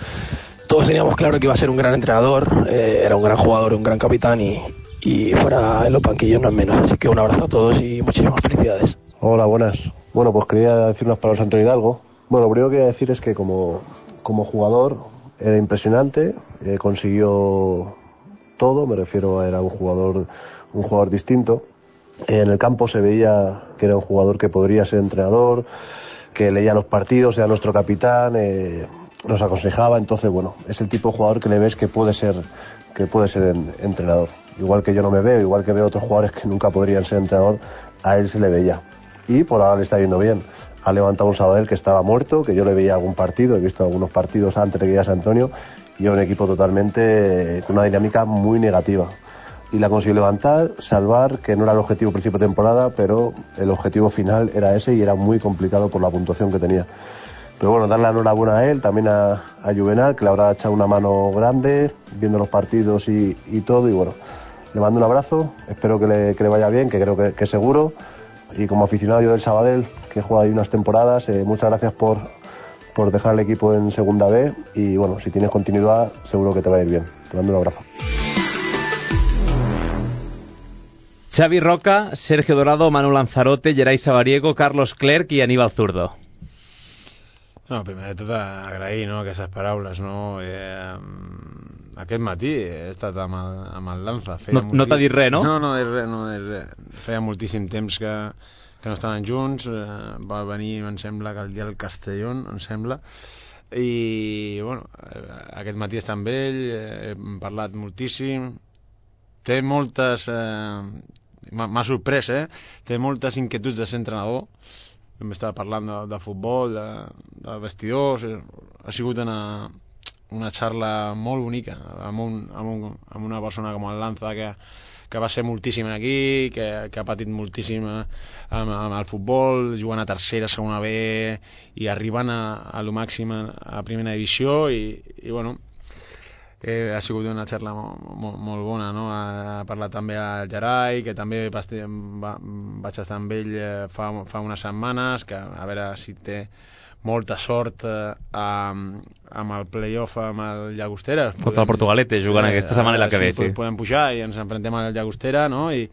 Todos teníamos claro que iba a ser un gran entrenador, eh, era un gran jugador, un gran capitán y, y fuera en los banquillos no es menos. Así que un abrazo a todos y muchísimas felicidades. Hola, buenas. Bueno, pues quería decir unas palabras a Antonio Hidalgo. Bueno, lo primero que voy a decir es que como, como jugador era impresionante, eh, consiguió todo, me refiero a era un jugador, un jugador distinto. Eh, en el campo se veía que era un jugador que podría ser entrenador, que leía los partidos, era nuestro capitán, eh, nos aconsejaba, entonces bueno, es el tipo de jugador que le ves que puede ser, que puede ser en, entrenador. Igual que yo no me veo, igual que veo otros jugadores que nunca podrían ser entrenador, a él se le veía. Y por ahora le está yendo bien. Ha levantado un Sabadell que estaba muerto, que yo le veía algún partido, he visto algunos partidos antes de que llegase Antonio, y era un equipo totalmente con una dinámica muy negativa. Y la consiguió levantar, salvar, que no era el objetivo principio de temporada, pero el objetivo final era ese y era muy complicado por la puntuación que tenía. Pero bueno, darle la enhorabuena a él, también a, a Juvenal, que le habrá echado una mano grande, viendo los partidos y, y todo, y bueno, le mando un abrazo, espero que le, que le vaya bien, que creo que, que seguro. Y como aficionado yo del Sabadell, que he jugado ahí unas temporadas, eh, muchas gracias por, por dejar el equipo en Segunda B y bueno, si tienes continuidad seguro que te va a ir bien. Te mando un abrazo. Xavi Roca, Sergio Dorado, Manu Lanzarote, Geray Sabariego, Carlos Clerc i Aníbal Zurdo. No, primer de tot agrair, no, aquestes paraules, no? Eh, aquest matí he estat amb el, amb el Lanza. No, no t'ha dit res, no? No, no, és res, no és res. Feia moltíssim temps que, que no estaven junts, eh, va venir, em sembla, que el dia del Castellón, em sembla, i, bueno, aquest matí està amb ell, eh, hem parlat moltíssim, té moltes... Eh, m'ha sorprès, eh? Té moltes inquietuds de ser entrenador. Hem estat parlant de, de futbol, de, de vestidors, ha sigut una, una xarra molt bonica amb, un, amb, un, amb una persona com el Lanza que, que va ser moltíssim aquí, que, que ha patit moltíssim amb, amb el futbol, jugant a tercera, segona B i arribant a, a lo màxim a, a primera divisió i, i bueno, Eh, ha sigut una xarra molt, molt, molt bona, no? Ha parlat també al Geray, que també va, va, vaig estar amb ell fa, fa unes setmanes, que a veure si té molta sort eh, amb, amb el play-off amb el Llagostera. Contra el Portugalete, jugant eh, aquesta setmana i la que ve, sí. Podem pujar i ens enfrontem al Llagostera, no? I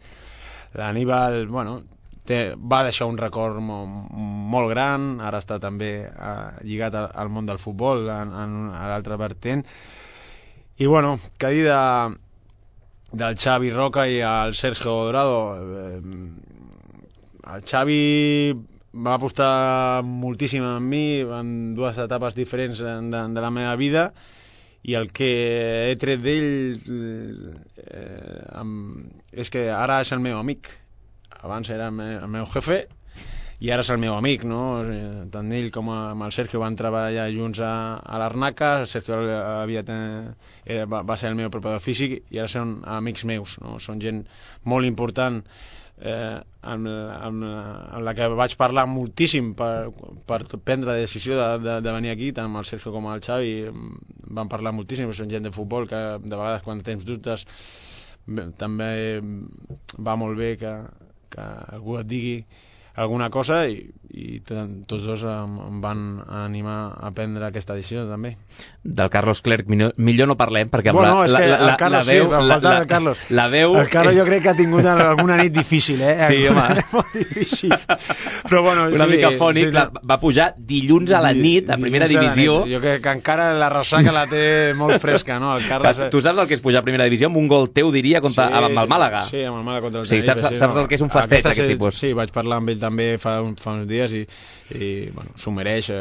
l'Aníbal, bueno, té, va deixar un record molt, molt gran, ara està també eh, lligat al món del futbol, en, en, a l'altre vertent. I bueno, que dir de, del Xavi Roca i el Sergio Dorado. Eh, el Xavi va apostar moltíssim en mi en dues etapes diferents de, de la meva vida, i el que he tret d'ell eh, és que ara és el meu amic. Abans era el meu, el meu jefe i ara és el meu amic, no? Tant ell com amb el Sergio van treballar junts a, a l'Arnaca. El Sergio havia ten... era, va, va ser el meu preparador físic i ara són amics meus, no? Són gent molt important, eh, amb, amb, amb la que vaig parlar moltíssim per, per prendre la decisió de, de, de venir aquí, tant amb el Sergio com amb el Xavi. Van parlar moltíssim, són gent de futbol que de vegades quan tens dubtes també va molt bé que, que algú et digui alguna cosa, i, i tots dos em, em van animar a prendre aquesta decisió també. Del Carlos Clerc millor, millor no parlem, perquè amb bueno, la, és la, que la, el Carlos, la veu, sí, la, la, el Carlos. La veu el Carlos és... jo crec que ha tingut alguna nit difícil, eh? Sí, home. Molt difícil. Però bueno, una sí, mica fònic, sí, clar, va pujar dilluns a la nit a primera divisió. Jo crec que encara la ressaca la té molt fresca, no? El Carlos... Tu saps el que és pujar a primera divisió amb un gol teu, diria, contra, sí, amb el Màlaga? Sí, amb el Màlaga contra el sí, Tenerife. Saps, saps no? el que és un fastet, Aquesta, aquest tipus? Sí, vaig parlar amb ell també fa, un, fa uns dies i i bueno, s'ho mereix eh,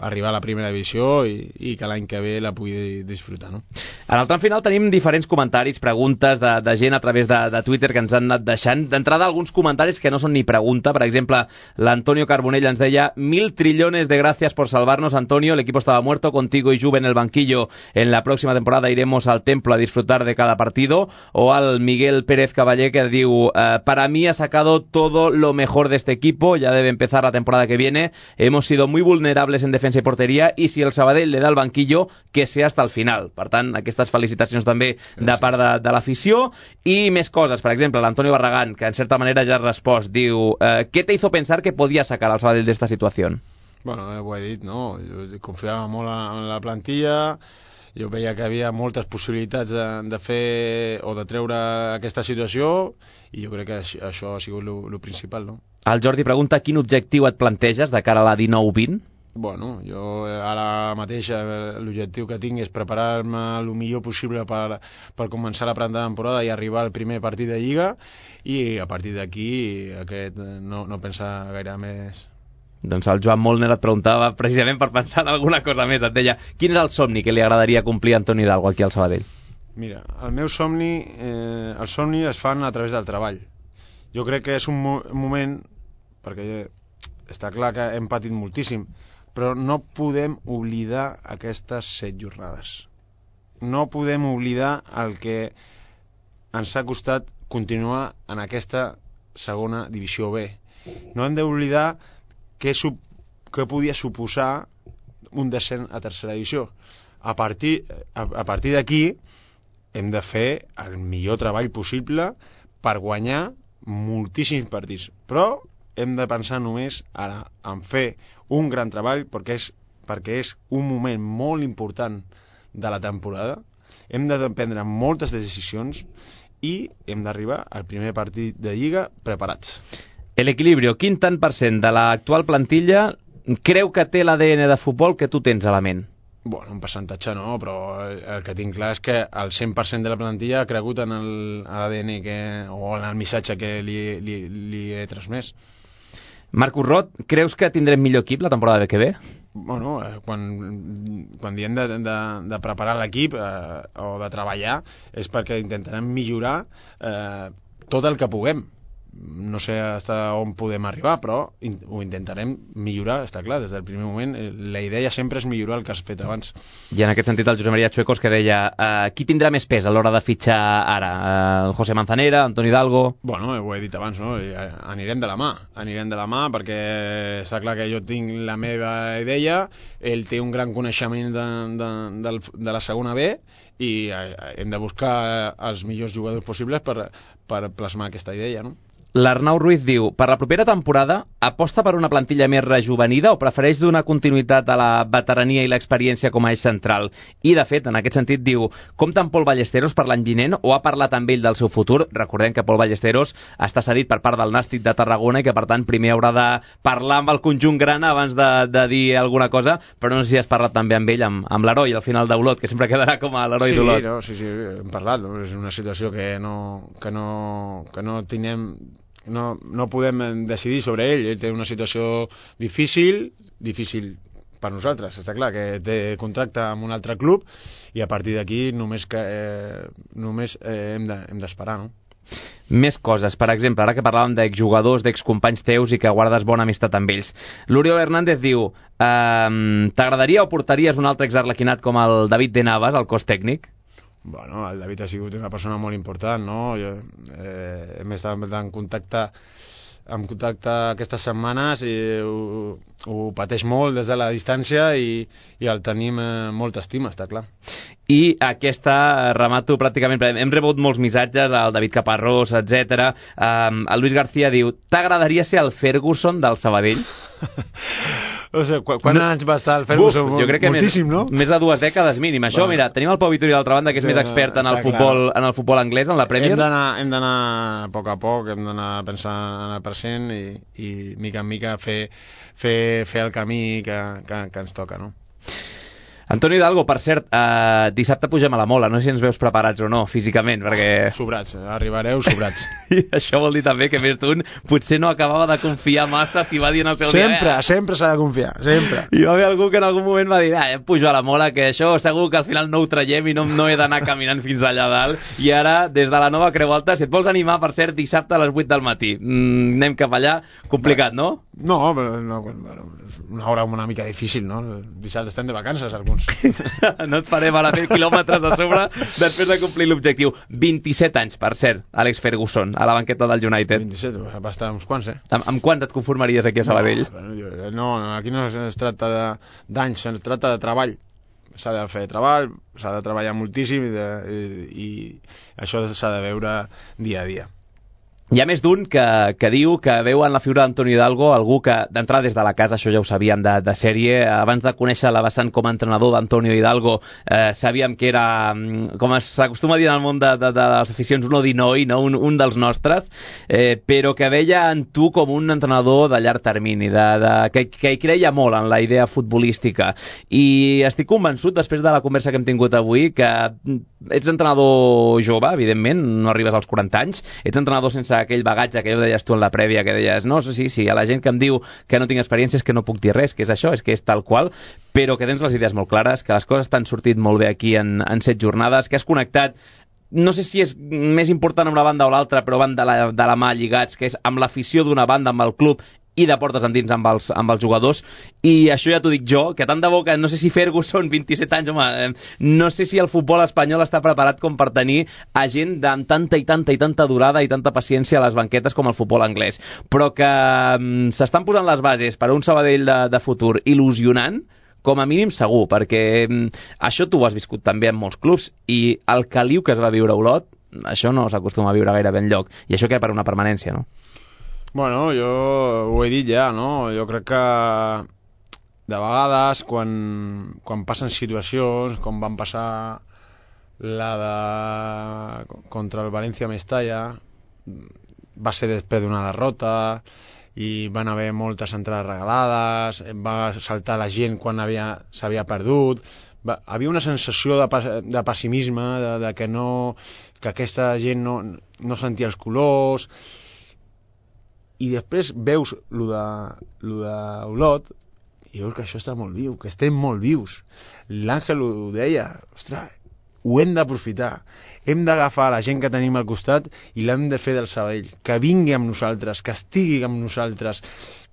arribar a la primera divisió i, i que l'any que ve la pugui disfrutar, no? En el tram final tenim diferents comentaris, preguntes de, de gent a través de, de Twitter que ens han anat deixant. D'entrada, alguns comentaris que no són ni pregunta. Per exemple, l'Antonio Carbonell ens deia: mil trillones de gracias por salvarnos, Antonio, el equipo estaba muerto, contigo y Juve en el banquillo, en la próxima temporada iremos al templo a disfrutar de cada partido. O al Miguel Pérez Caballé, que diu: eh, para mí ha sacado todo lo mejor de este equipo, ya debe empezar la temporada que viene. Hemos sido muy vulnerables en defensa y portería y si el Sabadell le da el banquillo, que sea hasta el final. Per tant, aquestes felicitacions també de part de, de l'afició. I més coses, per exemple, l'Antonio Barragán, que en certa manera ja ha respost, diu: eh, ¿qué te hizo pensar que podía sacar al Sabadell d'esta situació? Bueno, ho he dit, no? Jo confiava molt en la plantilla, jo veia que havia moltes possibilitats de, de fer o de treure aquesta situació, i jo crec que això ha sigut el principal, no? El Jordi pregunta: quin objectiu et planteges de cara a la dinou vint? Bueno, jo ara mateix l'objectiu que tinc és preparar-me el millor possible per, per començar la temporada i arribar al primer partit de Lliga, i a partir d'aquí aquest no, no pensar gaire més. Doncs el Joan Molner et preguntava precisament per pensar en alguna cosa més. Et deia: quin és el somni que li agradaria complir a Antoni Hidalgo aquí al Sabadell? Mira, el meu somni, eh, els somnis es fan a través del treball. Jo crec que és un mo moment, perquè està clar que hem patit moltíssim, però no podem oblidar aquestes set jornades. No podem oblidar el que ens ha costat continuar en aquesta segona divisió B. No hem d'oblidar què, què podia suposar un descens a tercera divisió. A partir, a, a partir d'aquí hem de fer el millor treball possible per guanyar moltíssims partits, però hem de pensar només ara en fer un gran treball, perquè és, perquè és un moment molt important de la temporada. Hem de prendre moltes decisions i hem d'arribar al primer partit de Lliga preparats. El equilibrio, quin tant per cent de l'actual plantilla creu que té l'A D N de futbol que tu tens a la ment? Bueno, un percentatge no, però el que tinc clar és que el cent per cent de la plantilla ha cregut en l'A D N que, o en el missatge que li, li, li he transmès. Marcus Roth, creus que tindrem millor equip la temporada que ve? Bueno, eh, quan, quan diem de, de, de preparar l'equip eh, o de treballar és perquè intentarem millorar eh, tot el que puguem. No sé fins on podem arribar, però in, ho intentarem millorar, està clar, des del primer moment. La idea sempre és millorar el que has fet abans. I en aquest sentit el Josep Maria Chuecos, que deia uh, qui tindrà més pes a l'hora de fitxar ara? Uh, José Manzanera, Antoni Hidalgo? Bueno, ho he dit abans, no? Anirem de la mà, anirem de la mà perquè està clar que jo tinc la meva idea, ell té un gran coneixement de, de, de, de la segona B i hem de buscar els millors jugadors possibles per, per plasmar aquesta idea, no? L'Arnau Ruiz diu: per la propera temporada aposta per una plantilla més rejuvenida o prefereix donar continuïtat a la veterania i l'experiència com a eix central? I de fet, en aquest sentit diu: compta amb Pol Ballesteros per l'any vinent o ha parlat amb ell del seu futur? Recordem que Pol Ballesteros està cedit per part del Nàstic de Tarragona i que per tant primer haurà de parlar amb el conjunt grana abans de, de dir alguna cosa, però no sé si has parlat també amb ell, amb, amb l'heroi al final d'Olot, que sempre quedarà com a l'heroi sí, d'Olot. No, sí, sí, hem parlat, no? És una situació que no, que no, que no tenim no, no podem decidir sobre ell. Ell té una situació difícil, difícil per nosaltres, està clar, que té contracte amb un altre club i a partir d'aquí només, que, eh, només eh, hem de, hem d'esperar, no? Més coses, per exemple, ara que parlàvem d'exjugadors, d'excompanys teus i que guardes bona amistat amb ells. L'Oriol Hernández diu ehm, t'agradaria o portaries un altre exarlequinat com el David de Navas al cos tècnic? Bueno, el David ha sigut una persona molt important, no? Jo, eh, hem estat en contacte en contacte aquestes setmanes i ho, ho pateix molt des de la distància i, i el tenim eh, molta estima, està clar. I aquesta, remato pràcticament, hem rebut molts missatges, el David Caparrós, etcètera. Um, el Luis García diu, t'agradaria ser el Ferguson del Sabadell? O sigui, qu quan no. anys va estar el Ferguson? Uf, jo crec que moltíssim, més, no? Més de dues dècades mínim. Això, bueno. Mira, tenim el Pau Vitori a l'altra banda, que és sí, més expert en el, futbol, en el futbol anglès, en la Premier. Hem d'anar a poc a poc, hem d'anar pensant en el present i, i mica en mica fer, fer, fer el camí que, que, que ens toca, no? Antonio Hidalgo, per cert, eh, dissabte pugem a la Mola, no sé si ens veus preparats o no, físicament, perquè... Sobrats, arribareu sobrats. I això vol dir també que més d'un potser no acabava de confiar massa si va dir en el seu sempre, dia... Sempre, sempre s'ha de confiar, sempre. I va haver algú que en algun moment va dir, ah, pujo a la Mola, que això segur que al final no ho traiem i no, no he d'anar caminant fins allà dalt. I ara, des de la nova Creu Alta, si et vols animar, per cert, dissabte a les vuit del matí. Mm, anem cap allà, complicat, no? No, però no, bueno, una hora una mica difícil, no? Dissabte estem de vacances, alguns. No et faré mal a fer quilòmetres a sobre després de complir l'objectiu. vint-i-set anys, per cert, Alex Ferguson, a la banqueta del United. vint-i-set, va estar uns quants, eh? Amb, amb quants et conformaries aquí a Sabadell? No, no, aquí no es tracta d'anys, es tracta de treball. S'ha de fer treball, s'ha de treballar moltíssim i, de, i, i això s'ha de veure dia a dia. Hi ha més d'un que, que diu que veu en la figura d'Antonio Hidalgo algú que, d'entrar des de la casa, això ja ho sabíem de, de sèrie, abans de conèixer la vessant com a entrenador d'Antonio Hidalgo, eh, sabíem que era, com s'acostuma a dir en el món de, de, de les aficions, un odinoi, no? un, un dels nostres, eh, però que veia en tu com un entrenador de llarg termini, de, de, que, que hi creia molt en la idea futbolística. I estic convençut, després de la conversa que hem tingut avui, que ets entrenador jove, evidentment, no arribes als quaranta anys, ets entrenador sense aquell bagatge que ja ho deies tu en la prèvia, que deies, no, sí, sí, a la gent que em diu que no tinc experiència és que no puc dir res, que és això, és que és tal qual, però que tens les idees molt clares, que les coses t'han sortit molt bé aquí en, en set jornades, que has connectat, no sé si és més important amb una banda o l'altra, però van de la, de la mà lligats, que és amb l'afició d'una banda, amb el club, i de portes endins amb els, amb els jugadors, i això ja t'ho dic jo, que tant de bo que no sé si Ferguson, vint-i-set anys, home, no sé si el futbol espanyol està preparat com per tenir a gent amb tanta i tanta i tanta durada i tanta paciència a les banquetes com el futbol anglès, però que um, s'estan posant les bases per a un Sabadell de, de futur il·lusionant, com a mínim segur, perquè um, això tu ho has viscut també en molts clubs, i el caliu que es va viure a Olot, això no s'acostuma a viure gairebé enlloc, i això que per una permanència, no? Bueno, jo ho he dit ja, no? Jo crec que de vegades quan, quan passen situacions, com van passar la de contra el València Mestalla, va ser després d'una derrota i van haver moltes entrades regalades, va saltar la gent quan s'havia perdut, va, havia una sensació de, de pessimisme, de, de que, no, que aquesta gent no, no sentia els colors. I després veus lo de, lo de Olot i veus que això està molt viu, que estem molt vius. L'Àngel ho deia, ostres, ho hem d'aprofitar, hem d'agafar la gent que tenim al costat i l'hem de fer del Sabadell, que vingui amb nosaltres, que estigui amb nosaltres,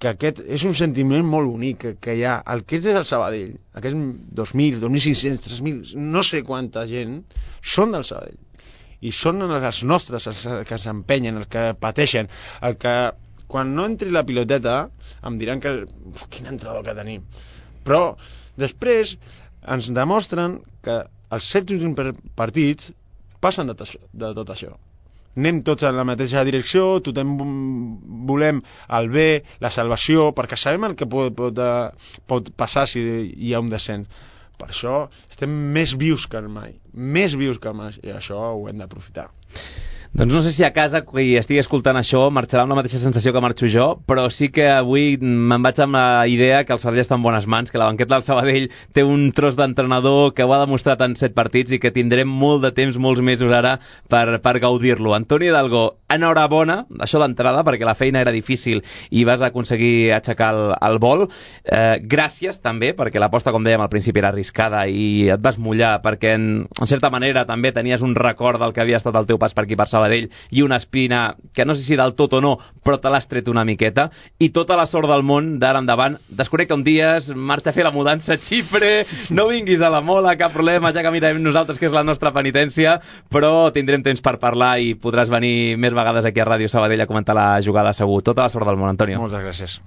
que aquest és un sentiment molt bonic que, que hi ha, el que és el Sabadell, aquests dos mil, dos mil cinc-cents, tres mil, no sé quanta gent són del Sabadell i són els nostres, els que s'empenyen, els que pateixen, el que quan no entri la piloteta em diran que uf, quin entrenador que tenim, però després ens demostren que els set últims partits passen de, de tot això, anem tots en la mateixa direcció, tothom volem el bé, la salvació, perquè sabem el que pot, pot, pot passar si hi ha un descens. Per això estem més vius que mai, més vius que mai, i això ho hem d'aprofitar. Doncs no sé si a casa qui estigui escoltant això marxarà amb la mateixa sensació que marxo jo, però sí que avui me'n vaig amb la idea que el Sabadell està en bones mans, que la banqueta del Sabadell té un tros d'entrenador que ho ha demostrat en set partits i que tindrem molt de temps, molts mesos ara per, per gaudir-lo. Antonio Hidalgo, enhorabona, això d'entrada, perquè la feina era difícil i vas aconseguir aixecar el, el vol. Eh, gràcies també, perquè l'aposta, com dèiem al principi, era arriscada i et vas mullar perquè en, en certa manera també tenies un record del que havia estat el teu pas per aquí per Sabadell i una espina que no sé si del tot o no, però te l'has tret una miqueta, i tota la sort del món d'ara endavant. Desconnecta un dia, marxa a fer la mudança a Xipre, no vinguis a la Mola, cap problema, ja que mirem nosaltres que és la nostra penitència, però tindrem temps per parlar i podràs venir més vegades aquí a Ràdio Sabadell a comentar la jugada segur. Tota la sort del món, Antonio. Moltes gràcies.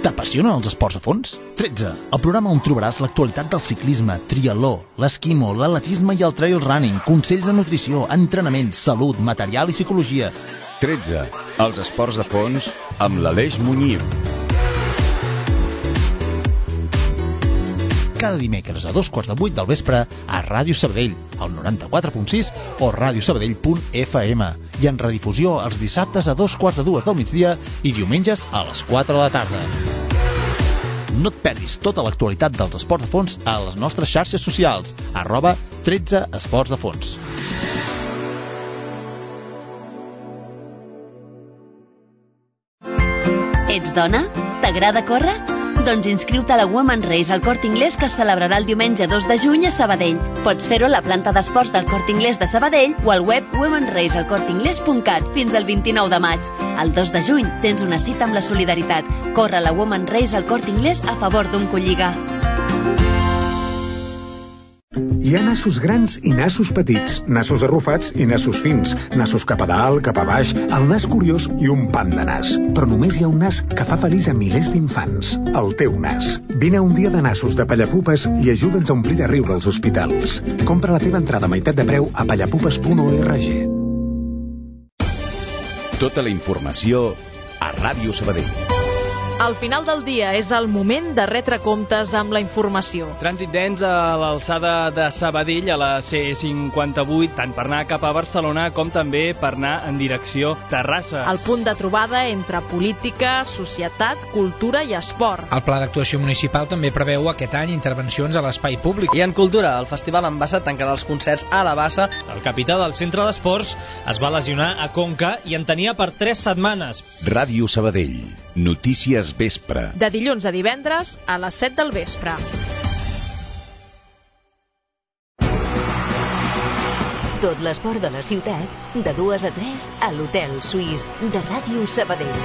T'apassionen els esports de fons? tretze. El programa on trobaràs l'actualitat del ciclisme, triatló, l'esquimo, l'atletisme i el trail running, consells de nutrició, entrenament, salut, material i psicologia. tretze. Els esports de fons amb l'Aleix Muñiu. Cada dimecres a dos quarts de vuit del vespre a Ràdio Sabadell, al noranta-quatre punt sis o radiosabadell punt f m, i en redifusió els dissabtes a dos quarts de dues del migdia i diumenges a les quatre de la tarda. No et perdis tota l'actualitat dels esports de fons a les nostres xarxes socials, arroba tretze esports de fons. Ets dona? T'agrada córrer? Doncs inscriu-te a la Women's Race al Corte Inglés, que es celebrarà el diumenge dos de juny a Sabadell. Pots fer-ho a la planta d'esports del Corte Inglés de Sabadell o al web women's race al corte inglés punt cat fins al vint-i-nou de maig. El dos de juny tens una cita amb la solidaritat. Corre la Women's Race al Corte Inglés a favor d'un colliga. Hi ha nassos grans i nassos petits, nassos arrufats i nassos fins, nassos cap a dalt, cap a baix, el nas curiós i un pam de nas. Però només hi ha un nas que fa feliç a milers d'infants, el teu nas. Vine a un dia de nassos de Pallapupes i ajuda'ns a omplir de riure els hospitals. Compra la teva entrada a meitat de preu a pallapupes punt org. Tota la informació a Ràdio Sabadell. Al final del dia és el moment de retre comptes amb la informació. Trànsit dens a l'alçada de Sabadell a la C cinquanta-vuit, tant per anar cap a Barcelona com també per anar en direcció Terrassa. El punt de trobada entre política, societat, cultura i esport. El pla d'actuació municipal també preveu aquest any intervencions a l'espai públic. I en cultura, el Festival en Bassa tancarà els concerts a la Bassa. El capità del centre d'esports es va lesionar a Conca i en tenia per tres setmanes. Ràdio Sabadell. Notícies vespre. De dilluns a divendres a les set del vespre. Tot l'esport de la ciutat, de dues a tres a l'Hotel Suís de Ràdio Sabadell.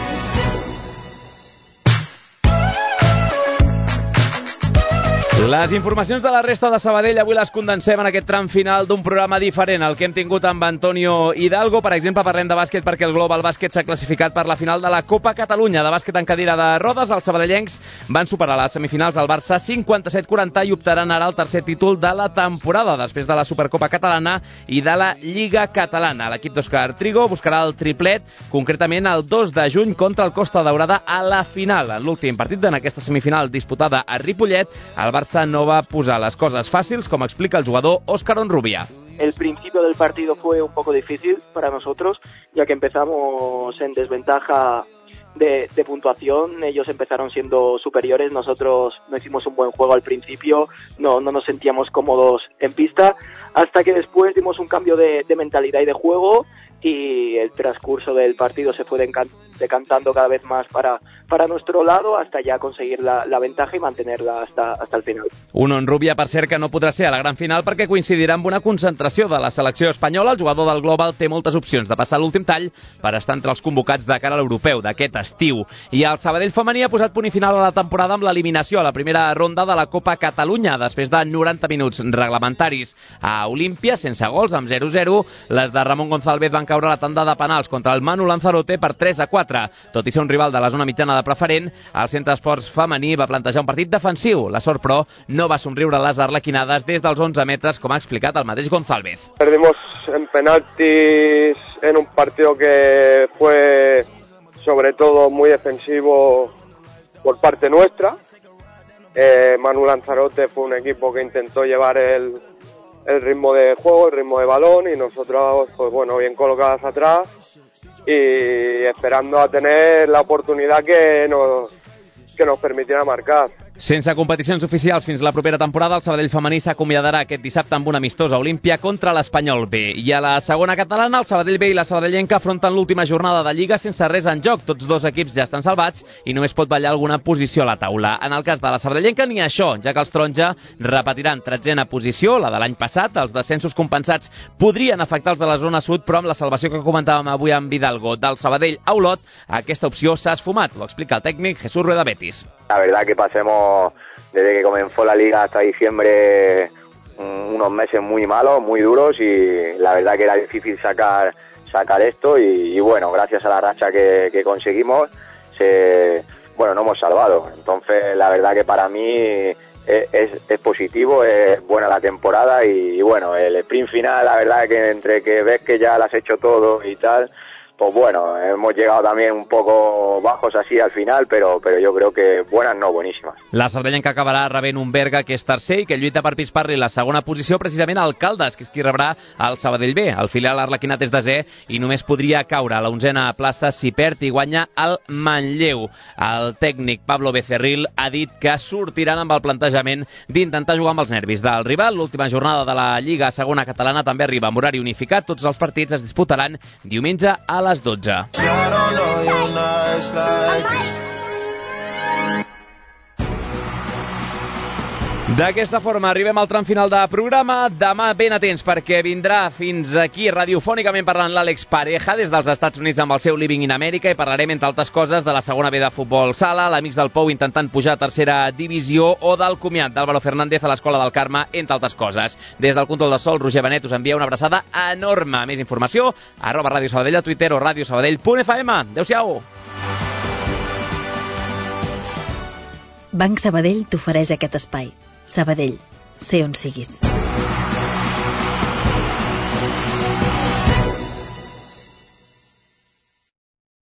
Les informacions de la resta de Sabadell avui les condensem en aquest tram final d'un programa diferent, el que hem tingut amb Antonio Hidalgo. Per exemple, parlem de bàsquet perquè el Global Bàsquet s'ha classificat per la final de la Copa Catalunya de bàsquet en cadira de rodes. Els sabadellencs van superar les semifinals al Barça cinquanta-set quaranta i optaran ara al tercer títol de la temporada després de la Supercopa Catalana i de la Lliga Catalana. L'equip d'Òscar Trigo buscarà el triplet, concretament el dos de juny contra el Costa Daurada a la final. En l'últim partit en aquesta semifinal disputada a Ripollet, el Barça no va posar las cosas fáciles, como explica el jugador Óscar Onrubia. El principio del partido fue un poco difícil para nosotros, ya que empezamos en desventaja de, de puntuación. Ellos empezaron siendo superiores, nosotros no hicimos un buen juego al principio, no, no nos sentíamos cómodos en pista, hasta que después dimos un cambio de, de mentalidad y de juego, y el transcurso del partido se fue decantando cada vez más para, para nuestro lado, hasta ya conseguir la, la ventaja i mantenerla hasta, hasta el final. Un Onrubia, per cert, que no podrà ser a la gran final perquè coincidirà amb una concentració de la selecció espanyola. El jugador del Global té moltes opcions de passar l'últim tall per estar entre els convocats de cara a l'europeu d'aquest estiu. I el Sabadell femení ha posat punt i final a la temporada amb l'eliminació a la primera ronda de la Copa Catalunya després de noranta minuts reglamentaris a Olímpia, sense gols, amb zero zero. Les de Ramon González van caure a la tanda de penals contra el Manu Lanzarote per tres a quatre. Tot i ser un rival de la zona mitjana de preferent, el Centre d'Esports femení va plantejar un partit defensiu. La sort, però, no va somriure les arlequinades des dels onze metres, com ha explicat el mateix González. Perdimos en penaltis en un partido que fue sobre todo muy defensivo por parte nuestra. Eh, Manu Lanzarote fue un equipo que intentó llevar el el ritmo de juego, el ritmo de balón, y nosotros, pues bueno, bien colocadas atrás, y esperando a tener la oportunidad que nos, que nos permitiera marcar. Sense competicions oficials fins la propera temporada, el Sabadell femení s'acomiadarà aquest dissabte amb una amistosa olímpia contra l'Espanyol B. I a la segona catalana, el Sabadell B i la Sabadellenca afronten l'última jornada de Lliga sense res en joc. Tots dos equips ja estan salvats i només pot ballar alguna posició a la taula. En el cas de la Sabadellenca ni això, ja que els taronja repetiran tretzena posició, la de l'any passat. Els descensos compensats podrien afectar els de la zona sud, però amb la salvació que comentàvem avui amb Vidalgo del Sabadell a Olot, aquesta opció s'ha esfumat. Ho explica el tècnic Jesús Rueda Betis. La verdad que pasemos desde que comenzó la liga hasta diciembre unos meses muy malos, muy duros, y la verdad que era difícil sacar sacar esto y, y bueno, gracias a la racha que, que conseguimos, se, bueno, nos hemos salvado. Entonces la verdad que para mí es, es, es positivo, es buena la temporada y, y bueno, el sprint final, la verdad que entre que ves que ya lo has hecho todo y tal, pues bueno, hemos llegado también un poco bajos así al final, pero, pero yo creo que buenas no, buenísimas. La Sabadellenca acabarà rebent un Berga que és tercer i que lluita per pispar-li la segona posició precisament al Caldes, que és qui rebrà el Sabadell B. El filial arlequinat és desè i només podria caure a la onzena plaça si perd i guanya el Manlleu. El tècnic Pablo Becerril ha dit que sortiran amb el plantejament d'intentar jugar amb els nervis del rival. L'última jornada de la Lliga segona catalana també arriba amb horari unificat. Tots els partits es disputaran diumenge a les dotze. D'aquesta forma arribem al tram final de programa. Demà ben atents perquè vindrà fins aquí radiofònicament parlant l'Àlex Pareja des dels Estats Units amb el seu Living in America i parlarem entre altres coses de la segona B de futbol sala, l'Amics del Pou intentant pujar a tercera divisió o del comiat d'Álvaro Fernández a l'Escola del Carme, entre altres coses. Des del control de sol, Roger Benet us envia una abraçada enorme. Més informació arroba Ràdio Sabadell a Twitter o radiosabadell punt f m. Adéu-siau! Banc Sabadell t'ofereix aquest espai. Sabadell, sé on siguis.